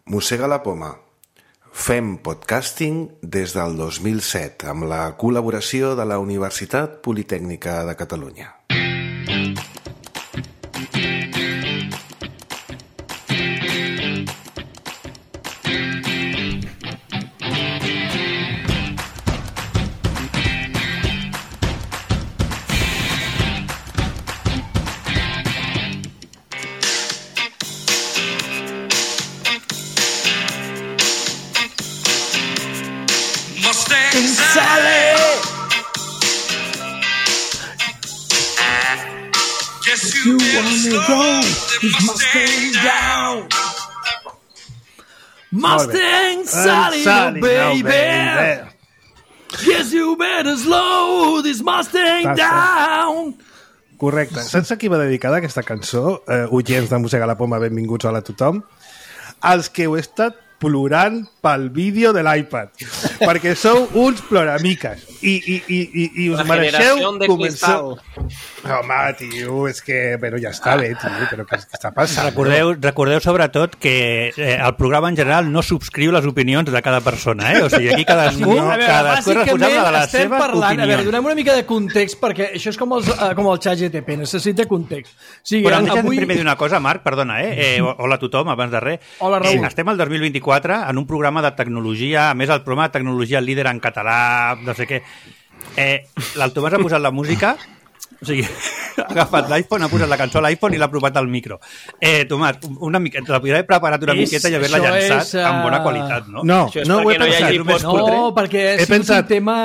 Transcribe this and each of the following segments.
Mossega la poma. Fem podcasting des del 2007 amb la col·laboració de la Universitat Politècnica de Catalunya. You wanna go, it's Mustang down. Mustang Sally, no baby. Yes, you better slow this Mustang down. Correcte. Saps a qui va dedicada aquesta cançó? Oients de Mossega la Poma, benvinguts, hola a tothom. Els que heu estat plorant pel vídeo de l'iPad, perquè sou uns ploramiques i us mereixeu començar. Home, tio, és que bueno, ja està bé, tio, però què està passant? Recordeu sobretot que el programa en general no subscriu les opinions de cada persona, o sigui, aquí cadascú és responsable de les seves opinions. A veure, donem una mica de context, perquè això és com el xat GTP, necessita context. Però deixa'm primer dir una cosa, Marc, perdona, hola a tothom, abans de res. Hola, Raül. Estem al 2024 en un programa de tecnologia, a més el programa de tecnologia líder en català, no sé què. El Tomàs ha posat la música, o sigui, ha agafat l'iPhone, ha posat la cançó a l'iPhone i l'ha provat al micro. Tomàs, una mica, te l'hauria preparat una miqueta i haver-la llançat amb bona qualitat, no? No ho he pensat. No, perquè és un tema...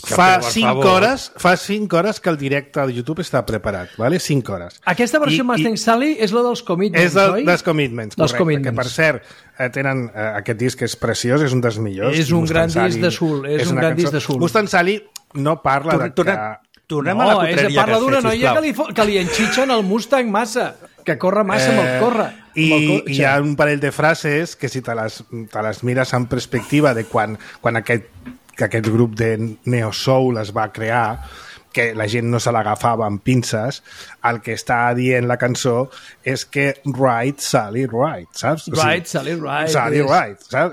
Fa 5 hores que el directe al YouTube està preparat, vale? 5 hores. Aquesta versió Mustang Sally és la dels Commitments, oi? És dels Commitments, correcte. Que, per cert, tenen aquest disc que és preciós, és un dels millors. És un gran disc de Soul. És un gran disc de Soul. Mustang Sally no parla de que... Tornem a la cotreria. Parla d'una noia que li enxitxen el Mustang massa, que corre massa amb el corre. I hi ha un parell de frases que si te les mires en perspectiva de quan aquest grup de Neo Soul es va crear, que la gent no se l'agafava amb pinces, el que està dient la cançó és que right, Sally, right, saps? Right, Sally, right. Sally, right, saps?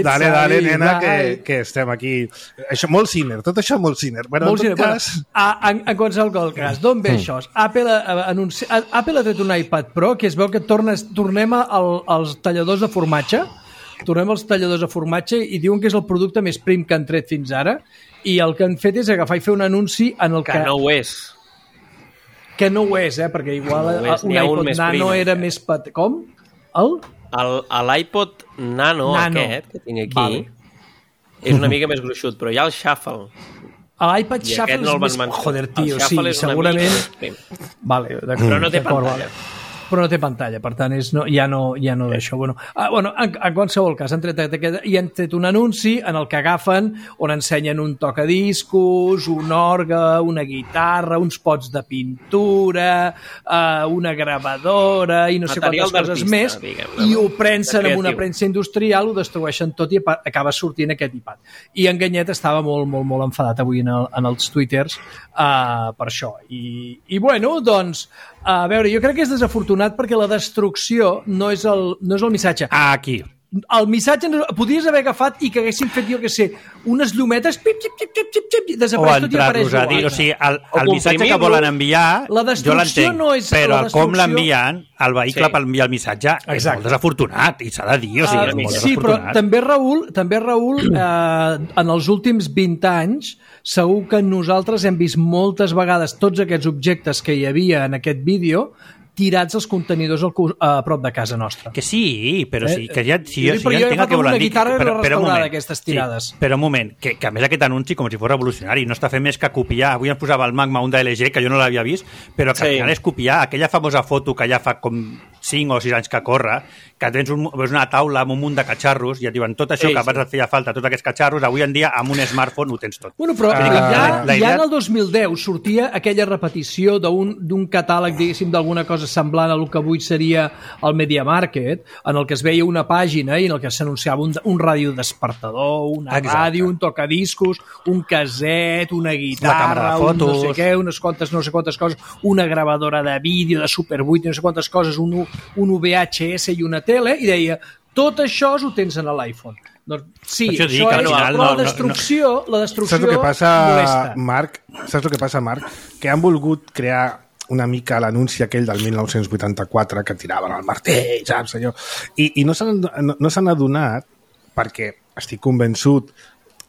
Dale, nena, que estem aquí. Això, molt Sinner, tot això molt Sinner. Bueno, molt Sinner. Cas... En qualsevol cas, d'on ve això? Apple ha tret un iPad Pro que es veu que tornem als talladors de formatge, i diuen que és el producte més prim que han tret fins ara, i el que han fet és agafar i fer un anunci en el que... no ho és. Que no ho és, perquè igual un iPod Nano era més... Com? L'iPod Nano aquest que tinc aquí és una mica més gruixut, però hi ha el Shuffle. L'iPad Shuffle és més... Joder, tio, sí, segurament... Vale, però no té pantalla. Però no té pantalla, per tant ja no d'això. Bueno, en qualsevol cas, han tret un anunci en el que agafen, on ensenyen un tocadiscos, un orgue, una guitarra, uns pots de pintura, una gravadora i no sé quantes coses més, i ho prensen amb una premsa industrial, ho destrueixen tot i acaba sortint aquest iPad. I en Ganyet estava molt, molt, molt enfadat avui en els twitters per això. I bueno, doncs, a veure, jo crec que és desafortunat perquè la destrucció no és el missatge. Aquí. El missatge podries haver agafat i que haguessin fet, jo què sé, unes llumetes, pip, xip, xip, xip, xip, desapareix tot i apareix igual. O sigui, el missatge que volen enviar, jo l'entenc, no és, però com l'envien, el vehicle per enviar el missatge és molt desafortunat, i s'ha de dir, o sigui, és molt desafortunat. Sí, però també, Raül, en els últims 20 anys, segur que nosaltres hem vist moltes vegades tots aquests objectes que hi havia en aquest vídeo tirats als contenidors a prop de casa nostra. Que sí, però sí, que ja... Si jo entenc que volen dir... Guitarra restaurada d'aquestes tirades. Sí, però un moment, que a més aquest anunci com si fos revolucionari, no està fent més que copiar, avui ens posava el Magma un de LG, que jo no l'havia vist, però que al final és copiar aquella famosa foto que ja fa com 5 o 6 anys que corre, que tens una taula amb un munt de catxarros i et diuen tot això que abans et feia falta, tots aquests catxarros, avui en dia amb un smartphone ho tens tot. Bueno, però ja en el 2010 sortia aquella repetició d'un catàleg, diguéssim, d'alguna cosa semblant a el que avui seria el Media Market, en el que es veia una pàgina i en el que s'anunciava un ràdio despertador, una ràdio, un tocadiscos, un caset, una guitarra, un no sé què, unes quantes no sé quantes coses, una gravadora de vídeo de Super 8, no sé quantes coses, un un VHS i una tele, i deia, tot això ho tens en l'iPhone. Doncs sí, això és la destrucció saps el que passa, molesta. Marc? Saps el que passa, Marc? Que han volgut crear una mica l'anunci aquell del 1984 que tiraven el martell, saps? Allò? I no s'han adonat, perquè estic convençut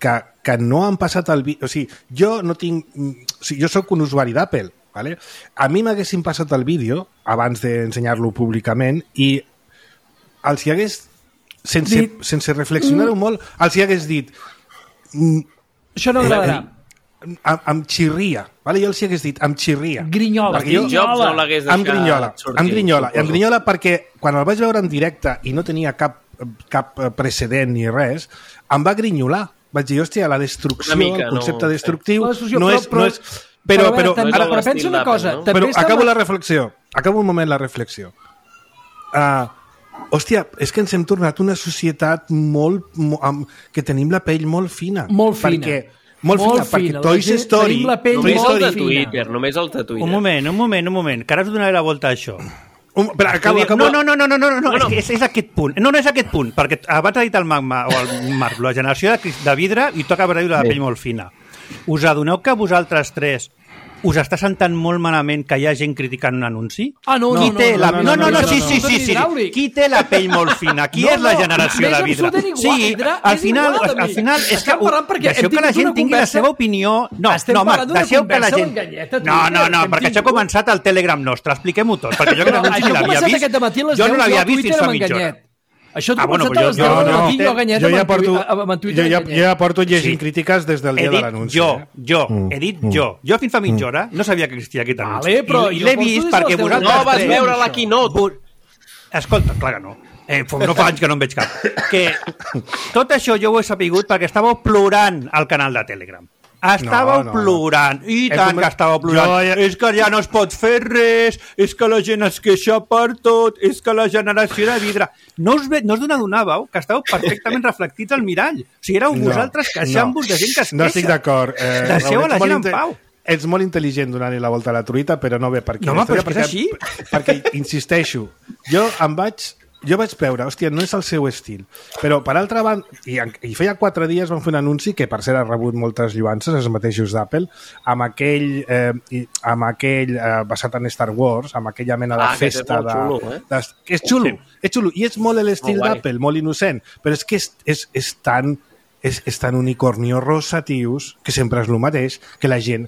que no han passat el vídeo... O sigui, jo no tinc... O sigui, jo sóc un usuari d'Apple, ¿vale? A mi m'haguessin passat el vídeo abans d'ensenyar-lo públicament i els hi hagués, sense reflexionar-ho molt, els hi hagués dit... Això no agradarà. Em xirria, vale? Jo els hi hagués dit, em xirria. Grinyola. Jobs no l'hagués deixat sortir. Em grinyola perquè quan el vaig veure en directe i no tenia cap precedent ni res, em va grinyolar. Vaig dir, hòstia, la destrucció, el concepte destructiu no és... Però pensa una cosa... Però acabo la reflexió. Acabo un moment la reflexió. Hòstia, és que ens hem tornat una societat que tenim la pell molt fina. Molt fina. Perquè Toy Story... de Twitter, només el de Twitter. Un moment, que ara us donaré la volta a això. Però acabo. No, és aquest punt. No és aquest punt, perquè abans ha dit el Magma o el Marc, la generació de vidre i toca veure la pell molt fina. Us adoneu que vosaltres tres us està sentant molt malament que hi ha gent criticant un anunci? No, sí. Qui té la pell molt fina? Qui és la generació de vidre? Sí, al final és que deixeu que la gent tingui la seva opinió. No, Marc, deixeu que la gent... No, perquè això ha començat al Telegram nostre, expliquem-ho tot, perquè jo que l'anunci l'havia vist, jo no l'havia vist fins fa mitja hora. Això t'ho començat a les 10 del matí, jo Ganyet amb Twitter. Jo ja porto llegint crítiques des del dia de l'anunci. He dit jo. Jo fins fa mitja hora no sabia que existia aquest anunci. I l'he vist perquè vosaltres... No vas veure la keynote. Escolta, clar que no. No fa anys que no en veig cap. Que tot això jo ho he sapigut perquè estàveu plorant al canal de Telegram. Estàveu plorant, i tant que estàveu plorant. És que ja no es pot fer res, és que la gent es queixa per tot, és que la generació de vidre... No us adonàveu que estàveu perfectament reflectits al mirall. O sigui, éreu vosaltres queixant-vos de gent que es queixa. No estic d'acord. Deixeu a la gent en pau. Ets molt intel·ligent donant-li la volta a la truita, però no ve per aquí. No, però és que és així. Perquè, insisteixo, jo vaig veure, hòstia, no és el seu estil. Però, per altra banda, i feia 4 dies van fer un anunci que, per cert, ha rebut moltes lluances, els mateixos d'Apple, amb aquell basat en Star Wars, amb aquella mena de festa que és xulo, és xulo. I és molt l'estil d'Apple, molt innocent, però és que és tan unicornio rosa, tios, que sempre és el mateix, que la gent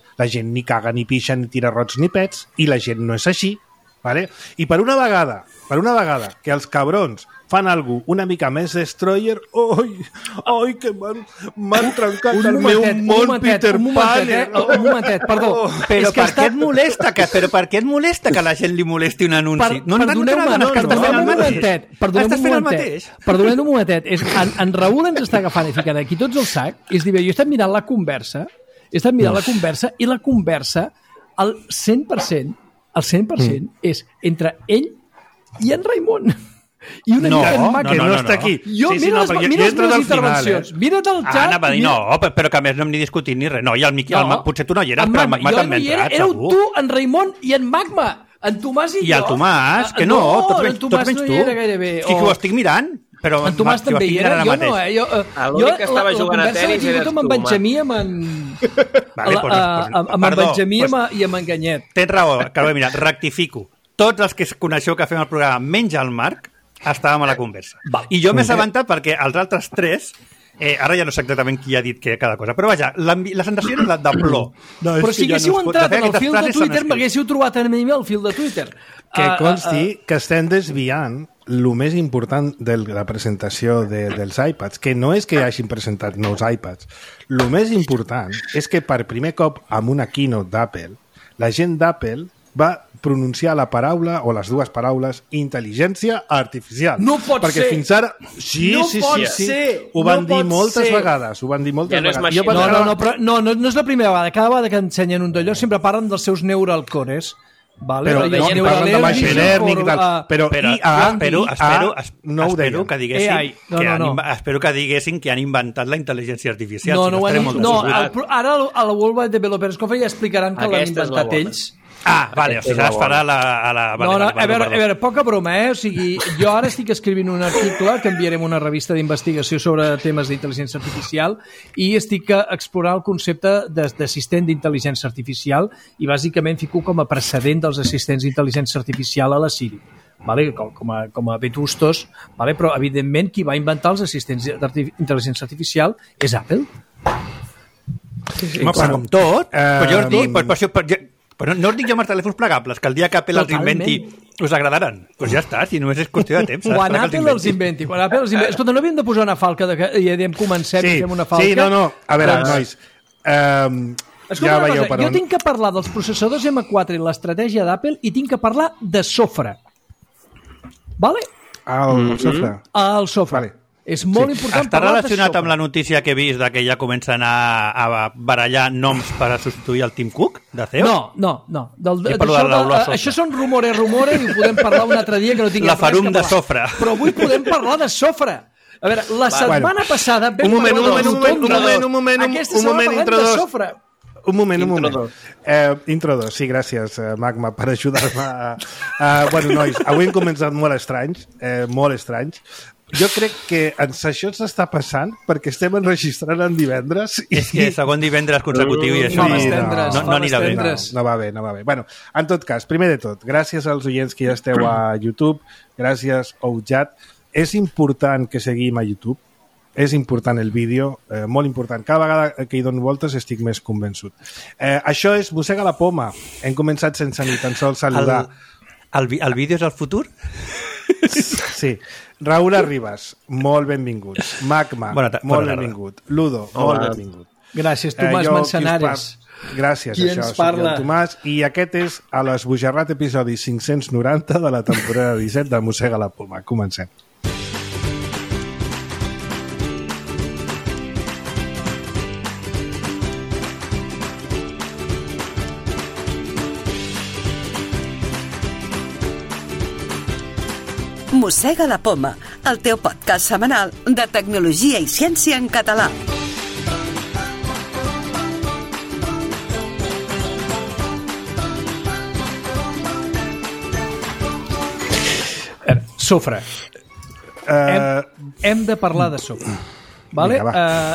ni caga, ni pixa, ni tira rots, ni pets, i la gent no és així. Vale? I per una vegada que els cabrons fan alguna una mica més destroyer, oi, que m'han trencat el meu món, Peter Pan. Un momentet, perdó. Però per què et molesta que la gent li molesti un anunci? Perdoneu un momentet. En Raül ens està agafant i ficant aquí tots al sac, és dir, jo he estat mirant la conversa, i la conversa, al 100%, és entre ell i en Raimon. I una mica en Mac, que no està aquí. Mira les meves intervencions. Mira't el xat. Anava a dir, però que a més no hem ni discutit ni res. No, i el Miquel, potser tu no hi eres, però el Magma també ha entrat, segur. Éreu tu, en Raimon i en Magma. En Tomàs i jo. I el Tomàs, que no, tots menys tu. No hi era gairebé. Sí que ho estic mirant. Però en Tomàs també hi era, jo no, l'únic que estava jugant a tenis era amb en Benjamí amb en Benjamí i amb en Ganyet. Tens raó, Carme, mira, rectifico. Tots els que coneixeu que fem el programa, menys el Marc, estàvem a la conversa. I jo m'he assabentat perquè els altres 3, ara ja no sé exactament qui ha dit cada cosa, però vaja, la sensació era de plor. Però si haguéssiu entrat en el fil de Twitter, m'haguéssiu trobat a mi el fil de Twitter. Que consti que estem desviant el més important de la presentació dels iPads, que no és que hagin presentat nous iPads. El més important és que per primer cop amb una keynote d'Apple, la gent d'Apple va pronunciar la paraula o les dues paraules intel·ligència artificial. No pot perquè ser! Fins ara... Sí. Ho van dir moltes vegades. No és la primera vegada. Cada vegada que ensenyen un d'allò sempre parlen dels seus neural cores. Vale? Però parlen de machine learning i tal. Però espero que diguessin espero que diguessin que han inventat la intel·ligència artificial. Ara a la World Wide Developers Conference ja explicaran que l'han inventat ells. Vale, o sigui, es farà a la... A veure, poca broma, O sigui, jo ara estic escrivint un article que enviarem a una revista d'investigació sobre temes d'intel·ligència artificial i estic explorant el concepte d'assistent d'intel·ligència artificial i bàsicament fico com a precedent dels assistents d'intel·ligència artificial a la Siri. Vale? Com a vetustos, vale? Però evidentment qui va inventar els assistents d'intel·ligència artificial és Apple. Sí, com tot, però jo us dic, però no us dic jo amb els telèfons plegables, que el dia que Apple els inventi us agradaran. Doncs ja està, si només és qüestió de temps. Quan Apple els inventi. Escolta, no havíem de posar una falca i diem comencem i fem una falca? Sí, no. A veure, nois, ja veieu per on. Jo tinc que parlar dels processadors M4 i l'estratègia d'Apple i tinc que parlar de sofre. Vale? El sofre. El sofre. Vale. És molt important està relacionat amb la notícia que he vist que ja comencen a barallar noms per a substituir el Tim Cook de CEO? No. Això són rumores i ho podem parlar un altre dia que no tinguem la farum de sofre. Però avui podem parlar de sofre. A veure, la setmana passada un moment. Intro 2, sí, gràcies, Magma, per ajudar-me. Bueno, nois, avui hem començat molt estranys. Jo crec que això s'està passant perquè estem enregistrant en divendres. És que segon divendres consecutiu i això no anirà bé. No va bé. Bueno, en tot cas, primer de tot, gràcies als oients que ja esteu a YouTube, gràcies, Oujat. És important que seguim a YouTube, és important el vídeo, molt important. Cada vegada que hi dono voltes estic més convençut. Això és Mossega la Poma. Hem començat sense ni tan sols saludar. El vídeo és el futur? Sí. Raúl Arribas, molt benvinguts. Magma, molt benvingut. Ludo, molt benvingut. Gràcies, Tomàs Manzanares. Gràcies, això, soc el Tomàs. I aquest és a l'Esbojarrat episodi 590 de la temporada 17 de Mossega la Poma. Comencem. Mossega la Poma, el teu podcast setmanal de tecnologia i ciència en català. Sofre. Hem de parlar de sofre. Vale?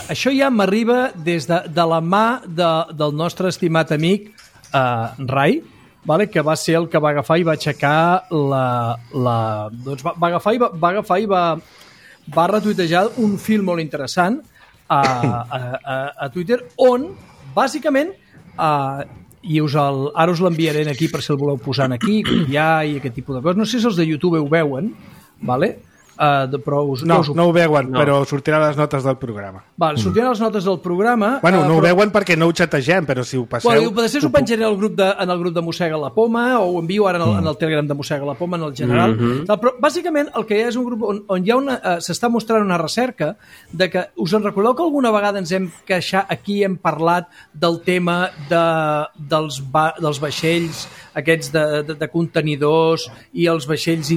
Això ja m'arriba des de la mà del nostre estimat amic Rai, vale, que va ser el que va agafar i va aixecar doncs va agafar i va retuitejar un fil molt interessant a Twitter on bàsicament i ara us l'enviaré aquí per si el voleu posar aquí, copiar i aquest tipus de coses. No sé si els de YouTube ho veuen, vale? Però no ho veuen, però sortiran les notes del programa. Sortiran les notes del programa. Bueno, no ho veuen perquè no ho xategem, però si ho passeu... Després ho penjaré en el grup de Mossega la Poma, o ho envio ara en el Telegram de Mossega la Poma, en el general. Però bàsicament el que hi ha és un grup on hi ha s'està mostrant una recerca de que, us en recordeu que alguna vegada ens hem queixat, aquí hem parlat del tema dels vaixells aquests de contenidors i els vaixells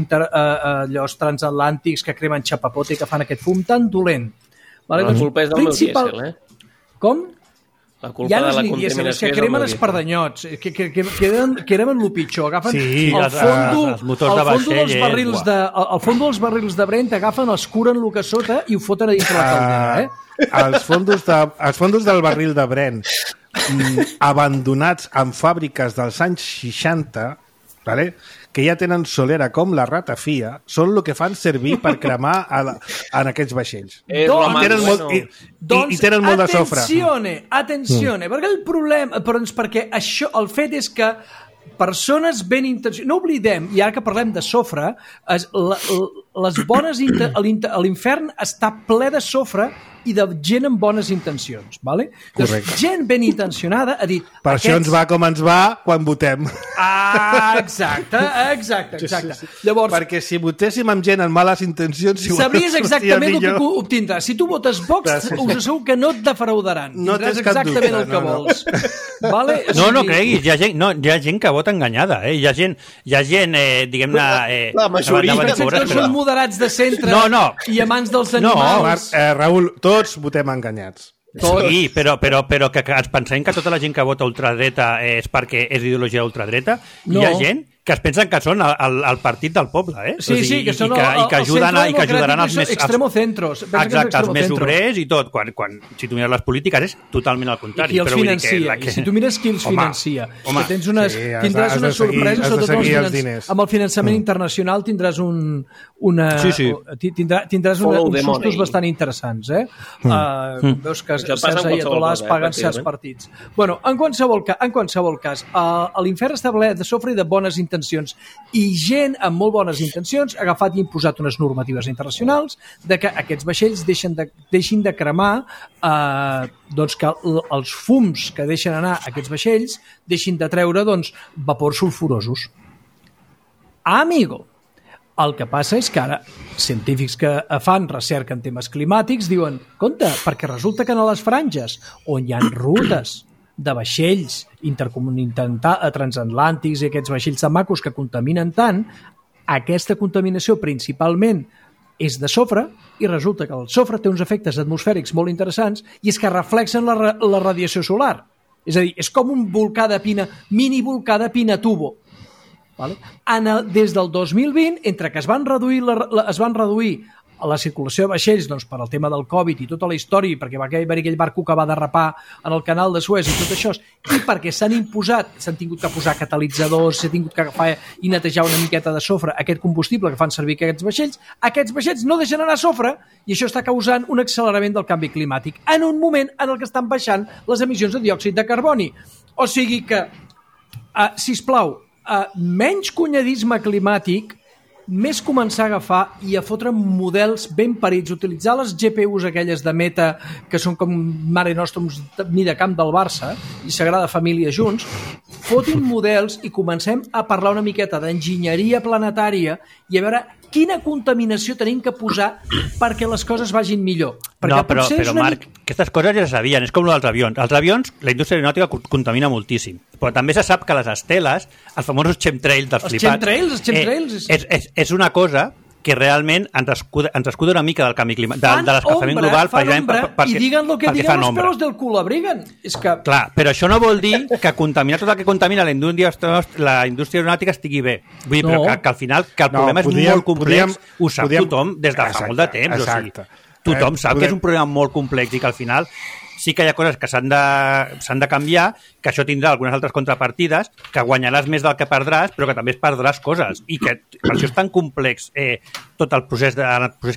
transatlàntics que cremen xapapote i que fan aquest fum tan dolent. La culpa és del meu dièsel, Com? La culpa de la contaminació és que cremen espardanyots, que cremen el pitjor. Agafen el fons dels barrils de Brent, agafen, els curen el que sota i ho foten a dintre la caldera. Els fondos del barril de Brent abandonats en fàbriques dels anys 60, vale? Que ja tenen solera com la ratafia, són el que fan servir per cremar en aquests vaixells. I tenen molt de sofre. Atenzione, perquè el problema, perquè això, el fet és que persones ben intencionades, no oblidem, i ara que parlem de sofre, l'infern està ple de sofre i de gent amb bones intencions, vale? Correcte. Gent ben intencionada ha dit... Per això ens va com ens va quan votem. Exacte. Llavors, perquè si votéssim amb gent amb males intencions... Sabries exactament el que obtindràs. Si tu votes Vox, us asseguro que no et defraudaran. No tens cap dubte. Exactament el que vols. Vale? No creguis, hi ha gent que vota enganyada. Hi ha gent diguem-ne... La majoria són moderats de centre i amants dels animals. No, Raül, tots votem enganyats. Sí, però que ens pensem que tota la gent que vota ultradreta és perquè és d'ideologia ultradreta. No. Hi ha gent que es pensen que són el partit del poble, eh? Sí, sí, que són i que ajudaran els més... Extremocentros. Exacte, els més obrers i tot. Si tu mires les polítiques és totalment al contrari. I qui els financia. I si tu mires qui els financia. Home, tindràs unes sorpreses, sobretot amb el finançament internacional tindràs tindràs uns sustos bastant interessants, eh? Veus que certs ayatolás paguen certs partits. Bueno, en qualsevol cas, l'infern està ple de sofre i de bones intencions, i gent amb molt bones intencions ha agafat i imposat unes normatives internacionals de que aquests vaixells deixin de cremar, doncs que els fums que deixen anar aquests vaixells deixin de treure vapors sulfurosos. Amigo, el que passa és que ara científics que fan recerca en temes climàtics diuen, compte, perquè resulta que a les franges on hi ha rutes de vaixells transatlàntics i aquests vaixells de macos que contaminen tant, aquesta contaminació principalment és de sofre, i resulta que el sofre té uns efectes atmosfèrics molt interessants i és que reflexen la radiació solar. És a dir, és com un volcà de mini volcà de Pinatubo. Vale? Des del 2020, entre que es van reduir la circulació de vaixells per al tema del Covid i tota la història, perquè va haver aquell barco que va derrapar en el canal de Suez i tot això, i perquè s'han tingut que posar catalitzadors, s'ha tingut que agafar i netejar una miqueta de sofre aquest combustible que fan servir aquests vaixells no deixen anar sofre, i això està causant un accelerament del canvi climàtic en un moment en el que estan baixant les emissions de diòxid de carboni. O sigui que, sisplau, menys cunyadisme climàtic, més començar a agafar i a fotre models ben parits, utilitzar les GPUs aquelles de Meta, que són com Mare Nostrum mida camp del Barça i Sagrada Família junts, fotin models i comencem a parlar una miqueta d'enginyeria planetària i a veure quina contaminació tenim que posar perquè les coses vagin millor. No, però Marc, aquestes coses ja se sabien, és com el dels avions. Els avions, la indústria aeronàutica contamina moltíssim, però també se sap que les esteles, els famosos chemtrails dels flipats... Els chemtrails? És una cosa que realment ens escuda una mica del canvi climàtic, de l'escalfament global. I diguen el que diguen els pelos del cul abriguen. Clar, però això no vol dir que contaminar tot el que contamina la indústria aeronàutica estigui bé. Vull dir, però que al final que el problema és molt complex, ho sap tothom des de fa molt de temps. O sigui, tothom sap que és un problema molt complex i que al final sí que hi ha coses que s'han de canviar, que això tindrà algunes altres contrapartides, que guanyaràs més del que perdràs, però que també es perdràs coses. I que per això és tan complex tot el procés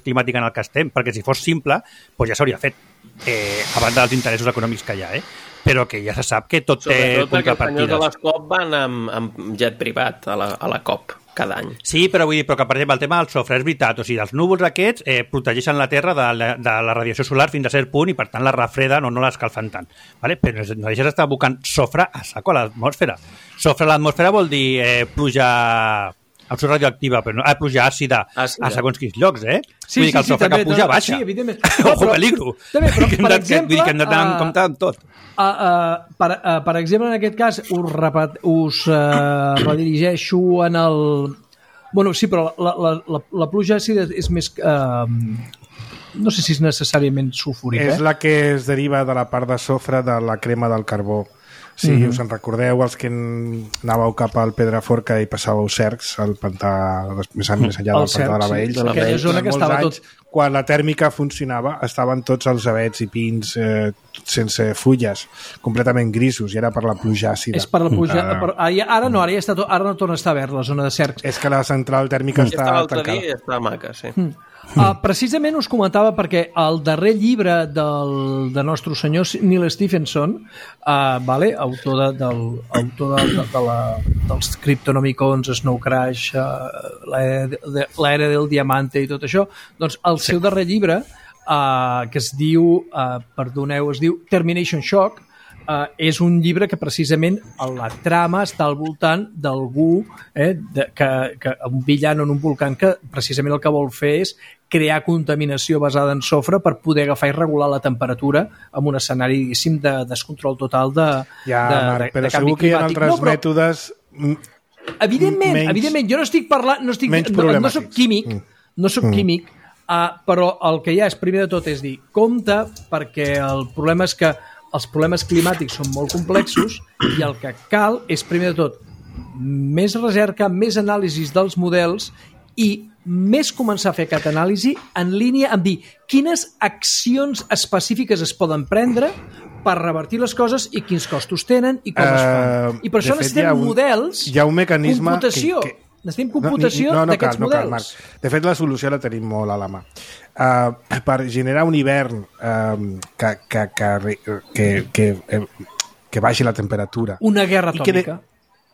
climàtic en el que estem, perquè si fos simple, doncs ja s'hauria fet, a banda dels interessos econòmics que hi ha, però que ja se sap que tot té contrapartides. Sobretot que els senyors de les COP van amb jet privat a la COP cada any. Sí, però vull dir que, per exemple, el tema del sofre és veritat. O sigui, els núvols aquests protegeixen la Terra de la radiació solar fins a cert punt i, per tant, la refreden o no l'escalfen tant. Vale? Però no deixes d'estar abocant sofre a saco a l'atmosfera. Sofre a l'atmosfera vol dir pluja radioactiva, però no, pluja àcida a segons quins llocs, Sí, vull dir que el sofre que puja baixa. Sí, evidentment. Ojo, peligro. També, però, per exemple... Vull dir que hem de tenir en compte amb tot. Per exemple, en aquest cas, us redirigeixo en el... Bueno, sí, però la pluja àcida és més... no sé si és necessàriament sulfúrica. És la que es deriva de la part de sofre de la crema del carbó. Si us en recordeu, els que anàveu cap al Pedraforca i passàveu cercs, al pantà més enllà del pantà de la Baells. Aquella zona que estava tot... Quan la tèrmica funcionava, estaven tots els avets i pins sense fulles, completament grisos, i era per la pluja àcida. És per la pluja... Ara no torna a estar verd, la zona de cercs. És que la central tèrmica està tancada. I està maca, sí. Precisament us comentava perquè el darrer llibre del nostre senyor Neil Stephenson, autor dels Cryptonomicons, Snow Crash, l'era del diamante i tot això, doncs el seu darrer llibre, que es diu Termination Shock, és un llibre que precisament la trama està al voltant d'algú, un villano en un volcán que precisament el que vol fer és crear contaminació basada en sofre per poder agafar i regular la temperatura amb un escenari, diguéssim, de descontrol total de Marc, però segur que hi ha altres mètodes evidentment, jo no estic parlant, no soc químic, Però el que hi ha és, primer de tot, és dir, compte, perquè el problema és que els problemes climàtics són molt complexos i el que cal és, primer de tot, més recerca, més anàlisis dels models i més començar a fer aquesta anàlisi en línia amb dir quines accions específiques es poden prendre per revertir les coses i quins costos tenen i com es fan. I per això necessitem models, hi ha un mecanisme computació. Necessitem computació d'aquests models. Marc. De fet, la solució la tenim molt a la mà. Per generar un hivern que baixi la temperatura. Una guerra atòmica.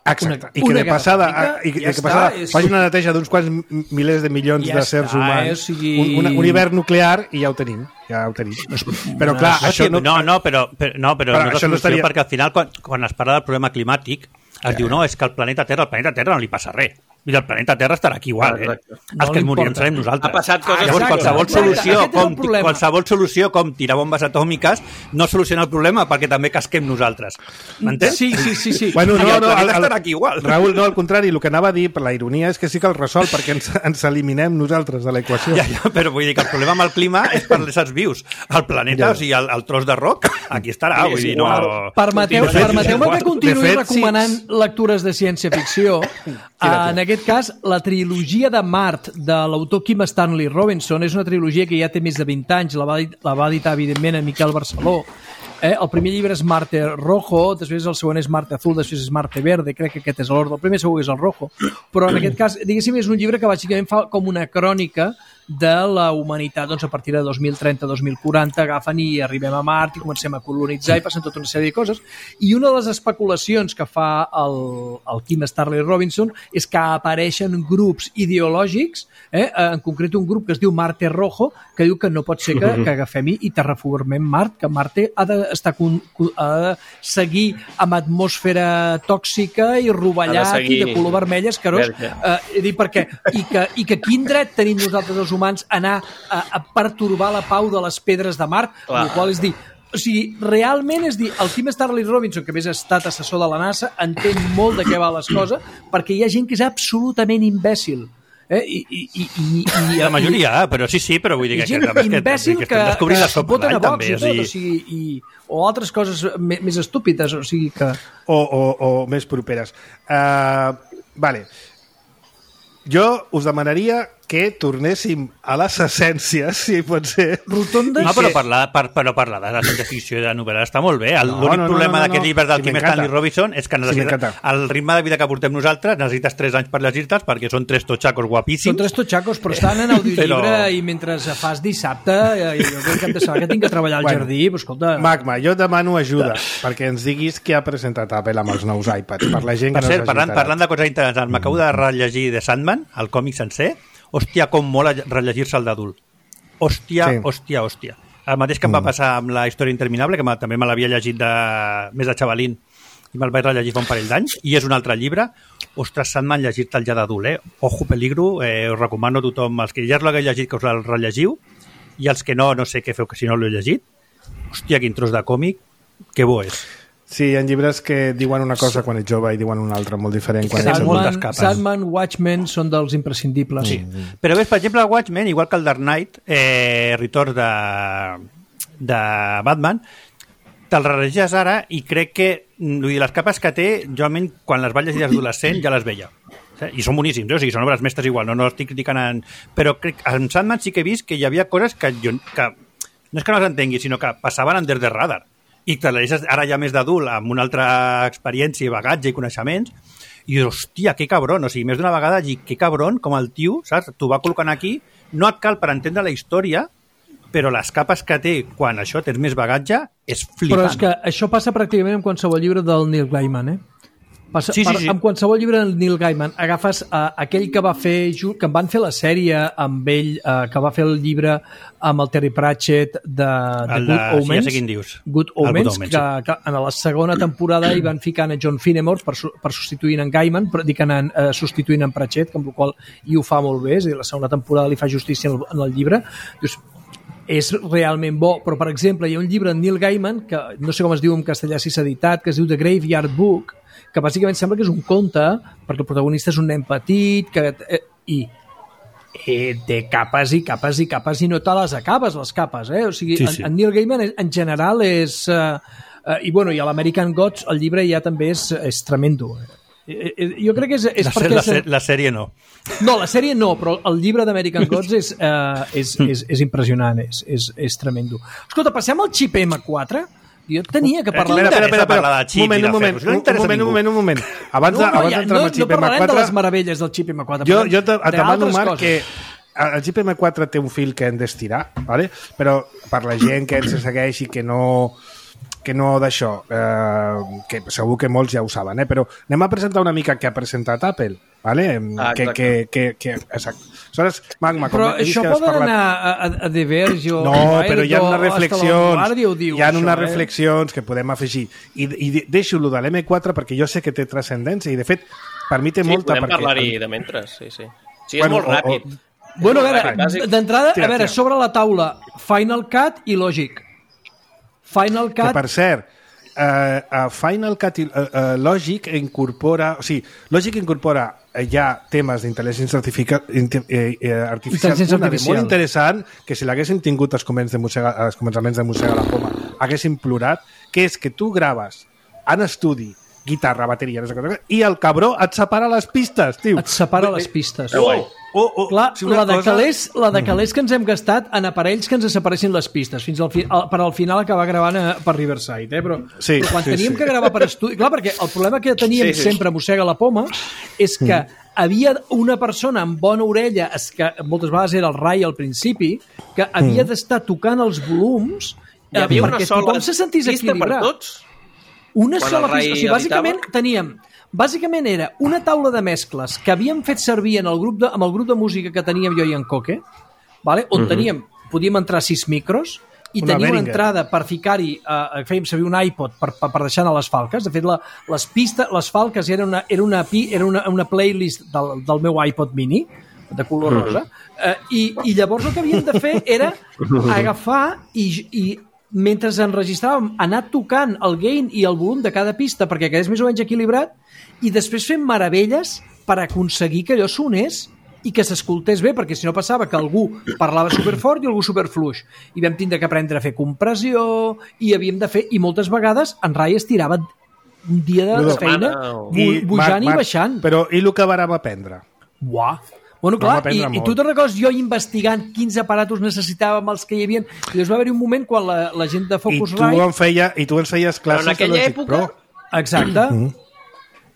Exacte. I que de passada faci una neteja d'uns quants milers de milions de sers humans. Un hivern nuclear i ja ho tenim. Però clar, això no... però no és la solució, perquè al final, quan es parla del problema climàtic, es diu, no, és que al planeta Terra no li passa res. Mira, el planeta Terra estarà aquí igual, Els que morirem serem nosaltres. Ha passat coses... Llavors, qualsevol solució com tirar bombes atòmiques no soluciona el problema perquè també casquem nosaltres. M'entens? Sí. Bueno, el planeta estarà aquí igual. Raül, no, al contrari, el que anava a dir, per la ironia, és que sí que el resol perquè ens eliminem nosaltres de l'equació. Ja, però vull dir que el problema amb el clima és per les éssers vius. El planeta, o sigui, el tros de roc, aquí estarà. Vull dir, no... Permeteu-me que continuï recomanant lectures de ciència-ficció. En aquest cas, la trilogia de Mart de l'autor Kim Stanley Robinson és una trilogia que ja té més de 20 anys, la va editar, evidentment, en Miquel Barceló. El primer llibre és Marte Rojo, després el segon és Marte Azul, després és Marte Verde, crec que aquest és l'ordre. El primer segur que és el Rojo. Però en aquest cas, diguéssim, és un llibre que bàsicament fa com una crònica de la humanitat, doncs a partir de 2030-2040 agafen i arribem a Mart i comencem a colonitzar i passen tota una sèrie de coses. I una de les especulacions que fa el Kim Stanley Robinson és que apareixen grups ideològics, en concret un grup que es diu Marte Rojo, que diu que no pot ser que agafem i terraformem Mart, que Marte ha de seguir amb atmosfera tòxica i rovellat i de color vermell escarós. I que quin dret tenim nosaltres els humans anar a pertorbar la pau de les pedres de Mart, el qual és dir, o sigui, realment és dir, el Kim Stanley Robinson, que a més ha estat assessor de la NASA, entén molt de què va les coses, perquè hi ha gent que és absolutament imbècil. La majoria, però sí, però vull dir que imbècil que s'ho voten a Vox i tot, o altres coses més estúpides, o sigui que... O més properes. Vale. Jo us demanaria que tornéssim a les essències, si pot ser. Rotondes. No, però parlar de la ciència-ficció i de novel·la està molt bé. L'únic problema d'aquest llibre del Kim Stanley Robinson és que el ritme de vida que portem nosaltres necessites 3 anys per llegir-te'ls perquè són 3 totxacos guapíssims. Són 3 totxacos, però estan en audiollibre i mentre fas dissabte, jo crec que hem de saber que tinc que treballar al jardí, però escolta... Magma, jo et demano ajuda perquè ens diguis què ha presentat Apple amb els nous iPads, per la gent que no s'hagi enterat. Parlant de coses interessants, m'acabo de rellegir The Sandman, el còmic sencer. Hòstia, com mola rellegir-se el d'adult. Hòstia. El mateix que em va passar amb la història interminable, que també me l'havia llegit més de xavalín, i me'l vaig rellegir fa un parell d'anys, i és un altre llibre. Ostres, Sandman, llegir-te'l ja d'adult, Ojo, peligro, us recomano a tothom, els que ja l'hagueu llegit, que us el rellegiu, i els que no sé què feu, que si no l'heu llegit. Hòstia, quin tros de còmic, que bo és. Sí, hi ha llibres que diuen una cosa quan ets jove i diuen una altra, molt diferent. Quan ets adult. Sandman, Watchmen són dels imprescindibles. Sí. Però ves, per exemple, el Watchmen, igual que el Dark Knight, Retorn de Batman, te'l rellegeixes ara i crec que les capes que té, jo almenys quan les vaig llegir d'adolescent ja les veia. I són boníssims, o sigui, són obres mestres igual, no estic criticant... Però crec que en Sandman sí que he vist que hi havia coses que no és que no les entengui, sinó que passaven under the radar. I te la deixes ara ja més d'adult, amb una altra experiència, bagatge i coneixements, i hòstia, que cabron, o sigui, més d'una vegada dir, que cabron, com el tio, saps? T'ho va col·locant aquí, no et cal per entendre la història, però les capes que té quan això tens més bagatge és flipant. Però és que això passa pràcticament en qualsevol llibre del Neil Gaiman, Sí. En qualsevol llibre del Neil Gaiman agafes aquell que va fer que en van fer la sèrie amb ell, que va fer el llibre amb el Terry Pratchett de Good Omens, ja sé quin dius. Good Omens, que en la segona temporada hi van ficar a John Finnemore per substituir en Gaiman, però dic substituint en Pratchett, amb la qual i ho fa molt bé, és a dir, la segona temporada li fa justícia en el llibre. Dius, és realment bo, però per exemple hi ha un llibre de Neil Gaiman, que no sé com es diu en castellà si s'ha editat, que es diu The Graveyard Book, que bàsicament sembla que és un conte, perquè el protagonista és un nen petit, i té capes i capes i capes i no te les acabes, les capes, O sigui, sí. En Neil Gaiman en general és... I a l'American Gods el llibre ja també és tremendo. Jo crec que és perquè... La sèrie no. No, la sèrie no, però el llibre d'American Gods és impressionant, és tremendo. Escolta, passem al xip M4? Jo tenia que parlar... Espera. Un moment. Abans d'entrar al xip M4... No parlarem de les meravelles del xip M4. Jo et demano, Marc, que el xip M4 té un fil que hem d'estirar, ¿vale? Però per la gent que ens segueix i que no d'això, que segur que molts ja ho saben, però anem a presentar una mica què ha presentat Apple, ¿vale? Exacte. Aleshores, Magma, però això poden anar a The Verge o... No, però hi ha unes reflexions que podem afegir. I deixo-lo de l'M4 perquè jo sé que té transcendència i, de fet, per mi té molta... Sí, podem parlar-hi de mentre, sí. Sí, és molt ràpid. Bueno, a veure, d'entrada, sobre la taula, Final Cut i Logic. Final Cut... Que, per cert, Final Cut i Logic incorpora... O sigui, Logic incorpora ja temes d'intel·ligència artificial molt interessant, que si l'haguessin tingut als començaments de Mossega la Poma haguessin plorat, que és que tu graves en estudi guitarra, bateria, i el cabró et separa les pistes, tio. Et separa les pistes. Clar, si la de calés que ens hem gastat en aparells que ens separessin les pistes, fins per al final acabar gravant per Riverside, però quan teníem que gravar per estudi... Clar, perquè el problema que teníem sempre a Mossega la Poma és que havia una persona amb bona orella, que moltes vegades era el Rai al principi, que havia d'estar tocant els volums perquè tothom se sentís equilibrat. Per tots? Una sola pista. O sigui, bàsicament era una taula de mescles que havíem fet servir amb el grup de música que teníem jo i en Coque, on podíem entrar 6 micros i teníem una entrada per ficar-hi, fèiem servir un iPod per deixar anar les falques. De fet, les falques era una playlist del meu iPod mini de color rosa, i llavors el que havíem de fer era agafar i mentre enregistràvem, anar tocant el gain i el volum de cada pista perquè quedés més o menys equilibrat i després fem meravelles per aconseguir que allò sonés i que s'escoltés bé, perquè si no passava que algú parlava superfort i algú superfluix. I vam tindre que aprendre a fer compressió i havíem de fer, i moltes vegades en Rai es tirava un dia de feina pujant i baixant. Però i el que vàrem aprendre? Uah! Bueno, clar, i tu te'n recordes jo investigant quins aparatos necessitàvem els que hi havia, i llavors va haver-hi un moment quan la gent de Focusrite... I tu ens feies classes de Logic Pro. Exacte.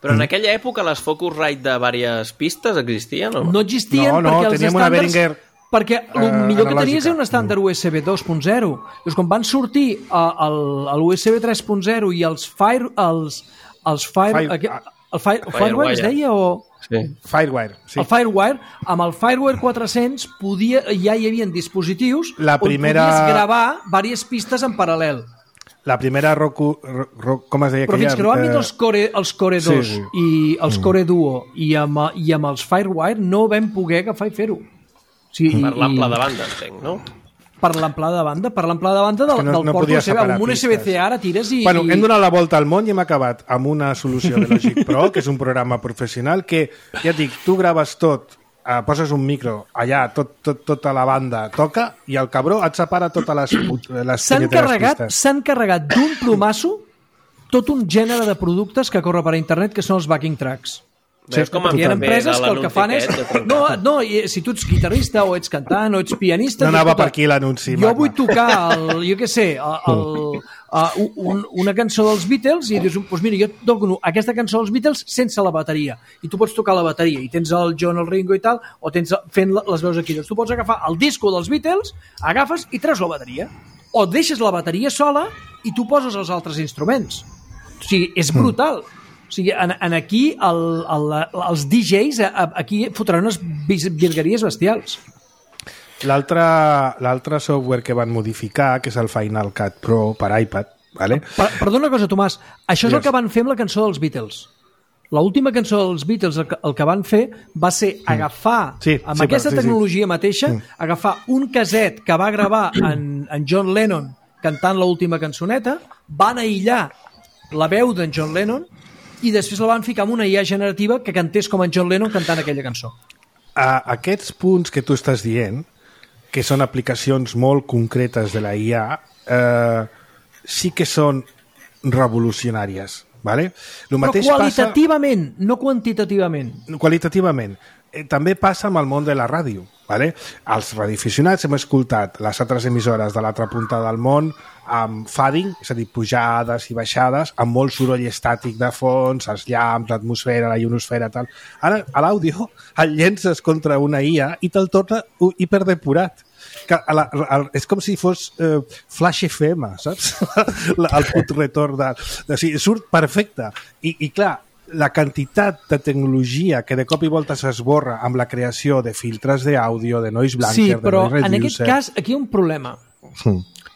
Però en aquella època les Focusrite de diverses pistes existien o no? No existien perquè els estàndards... Perquè el millor que tenies era un estàndard USB 2.0. Llavors, quan van sortir l'USB 3.0 i el Firewire es deia o... Sí. Firewire, sí. El Firewire, amb el Firewire 400 ja hi havia dispositius on podies gravar diverses pistes en paral·lel. La primera com es deia? Però fins que no van vindre els Core 2 i els Core Duo i amb els Firewire no vam poder agafar i fer-ho. Per l'ample de banda, entenc, no? Per l'ample de banda del port USB. Amb un USB-C ara tires i... Bueno, hem donat la volta al món i hem acabat amb una solució de Logic Pro, que és un programa professional que, ja et dic, tu graves tot, poses un micro allà, tota la banda toca i el cabró et separa totes les pistes. S'han carregat d'un plomasso tot un gènere de productes que corre per internet que són els backing tracks. Veus com hi ha empreses que el que fan és... No, si tu ets guitarrista o ets cantant o ets pianista... No anava per aquí l'anunci. Jo vull tocar, una cançó dels Beatles i dius, doncs mira, jo toco aquesta cançó dels Beatles sense la bateria. I tu pots tocar la bateria i tens el John, el Ringo i tal, o tens fent les veus aquí. Doncs tu pots agafar el disco dels Beatles, agafes i treus la bateria. O deixes la bateria sola i tu poses els altres instruments. O sigui, és brutal. O sigui, aquí els DJs aquí fotran unes virgueries bestials. L'altre software que van modificar, que és el Final Cut Pro per iPad, ¿vale? Perdona una cosa, Tomàs, això és el que van fer amb la cançó dels Beatles. L'última cançó dels Beatles, el que van fer va ser agafar, amb aquesta tecnologia mateixa, agafar un caset que va gravar en John Lennon cantant l'última cançoneta, van aïllar la veu d'en John Lennon i després la van ficar amb una IA generativa que cantés com en John Lennon cantant aquella cançó. aquests punts que tu estàs dient, que són aplicacions molt concretes de la IA, sí que són revolucionàries. Vale? Però qualitativament, no quantitativament. Qualitativament. També passa amb el món de la ràdio. Vale? Els radioaficionats hem escoltat les altres emissores de l'altra punta del món amb fading, és a dir, pujades i baixades, amb molt soroll estàtic de fons, els llamps, l'atmosfera, la ionosfera, tal. Ara, a l'àudio, el llences contra una IA i te'l torna hiperdepurat. És com si fos Flash FM, saps? El put retorn o sigui, surt perfecte. I clar, la quantitat de tecnologia que de cop i volta s'esborra amb la creació de filtres d'àudio, de noise blanker, sí, però de noise reducer... en aquest cas aquí hi ha un problema.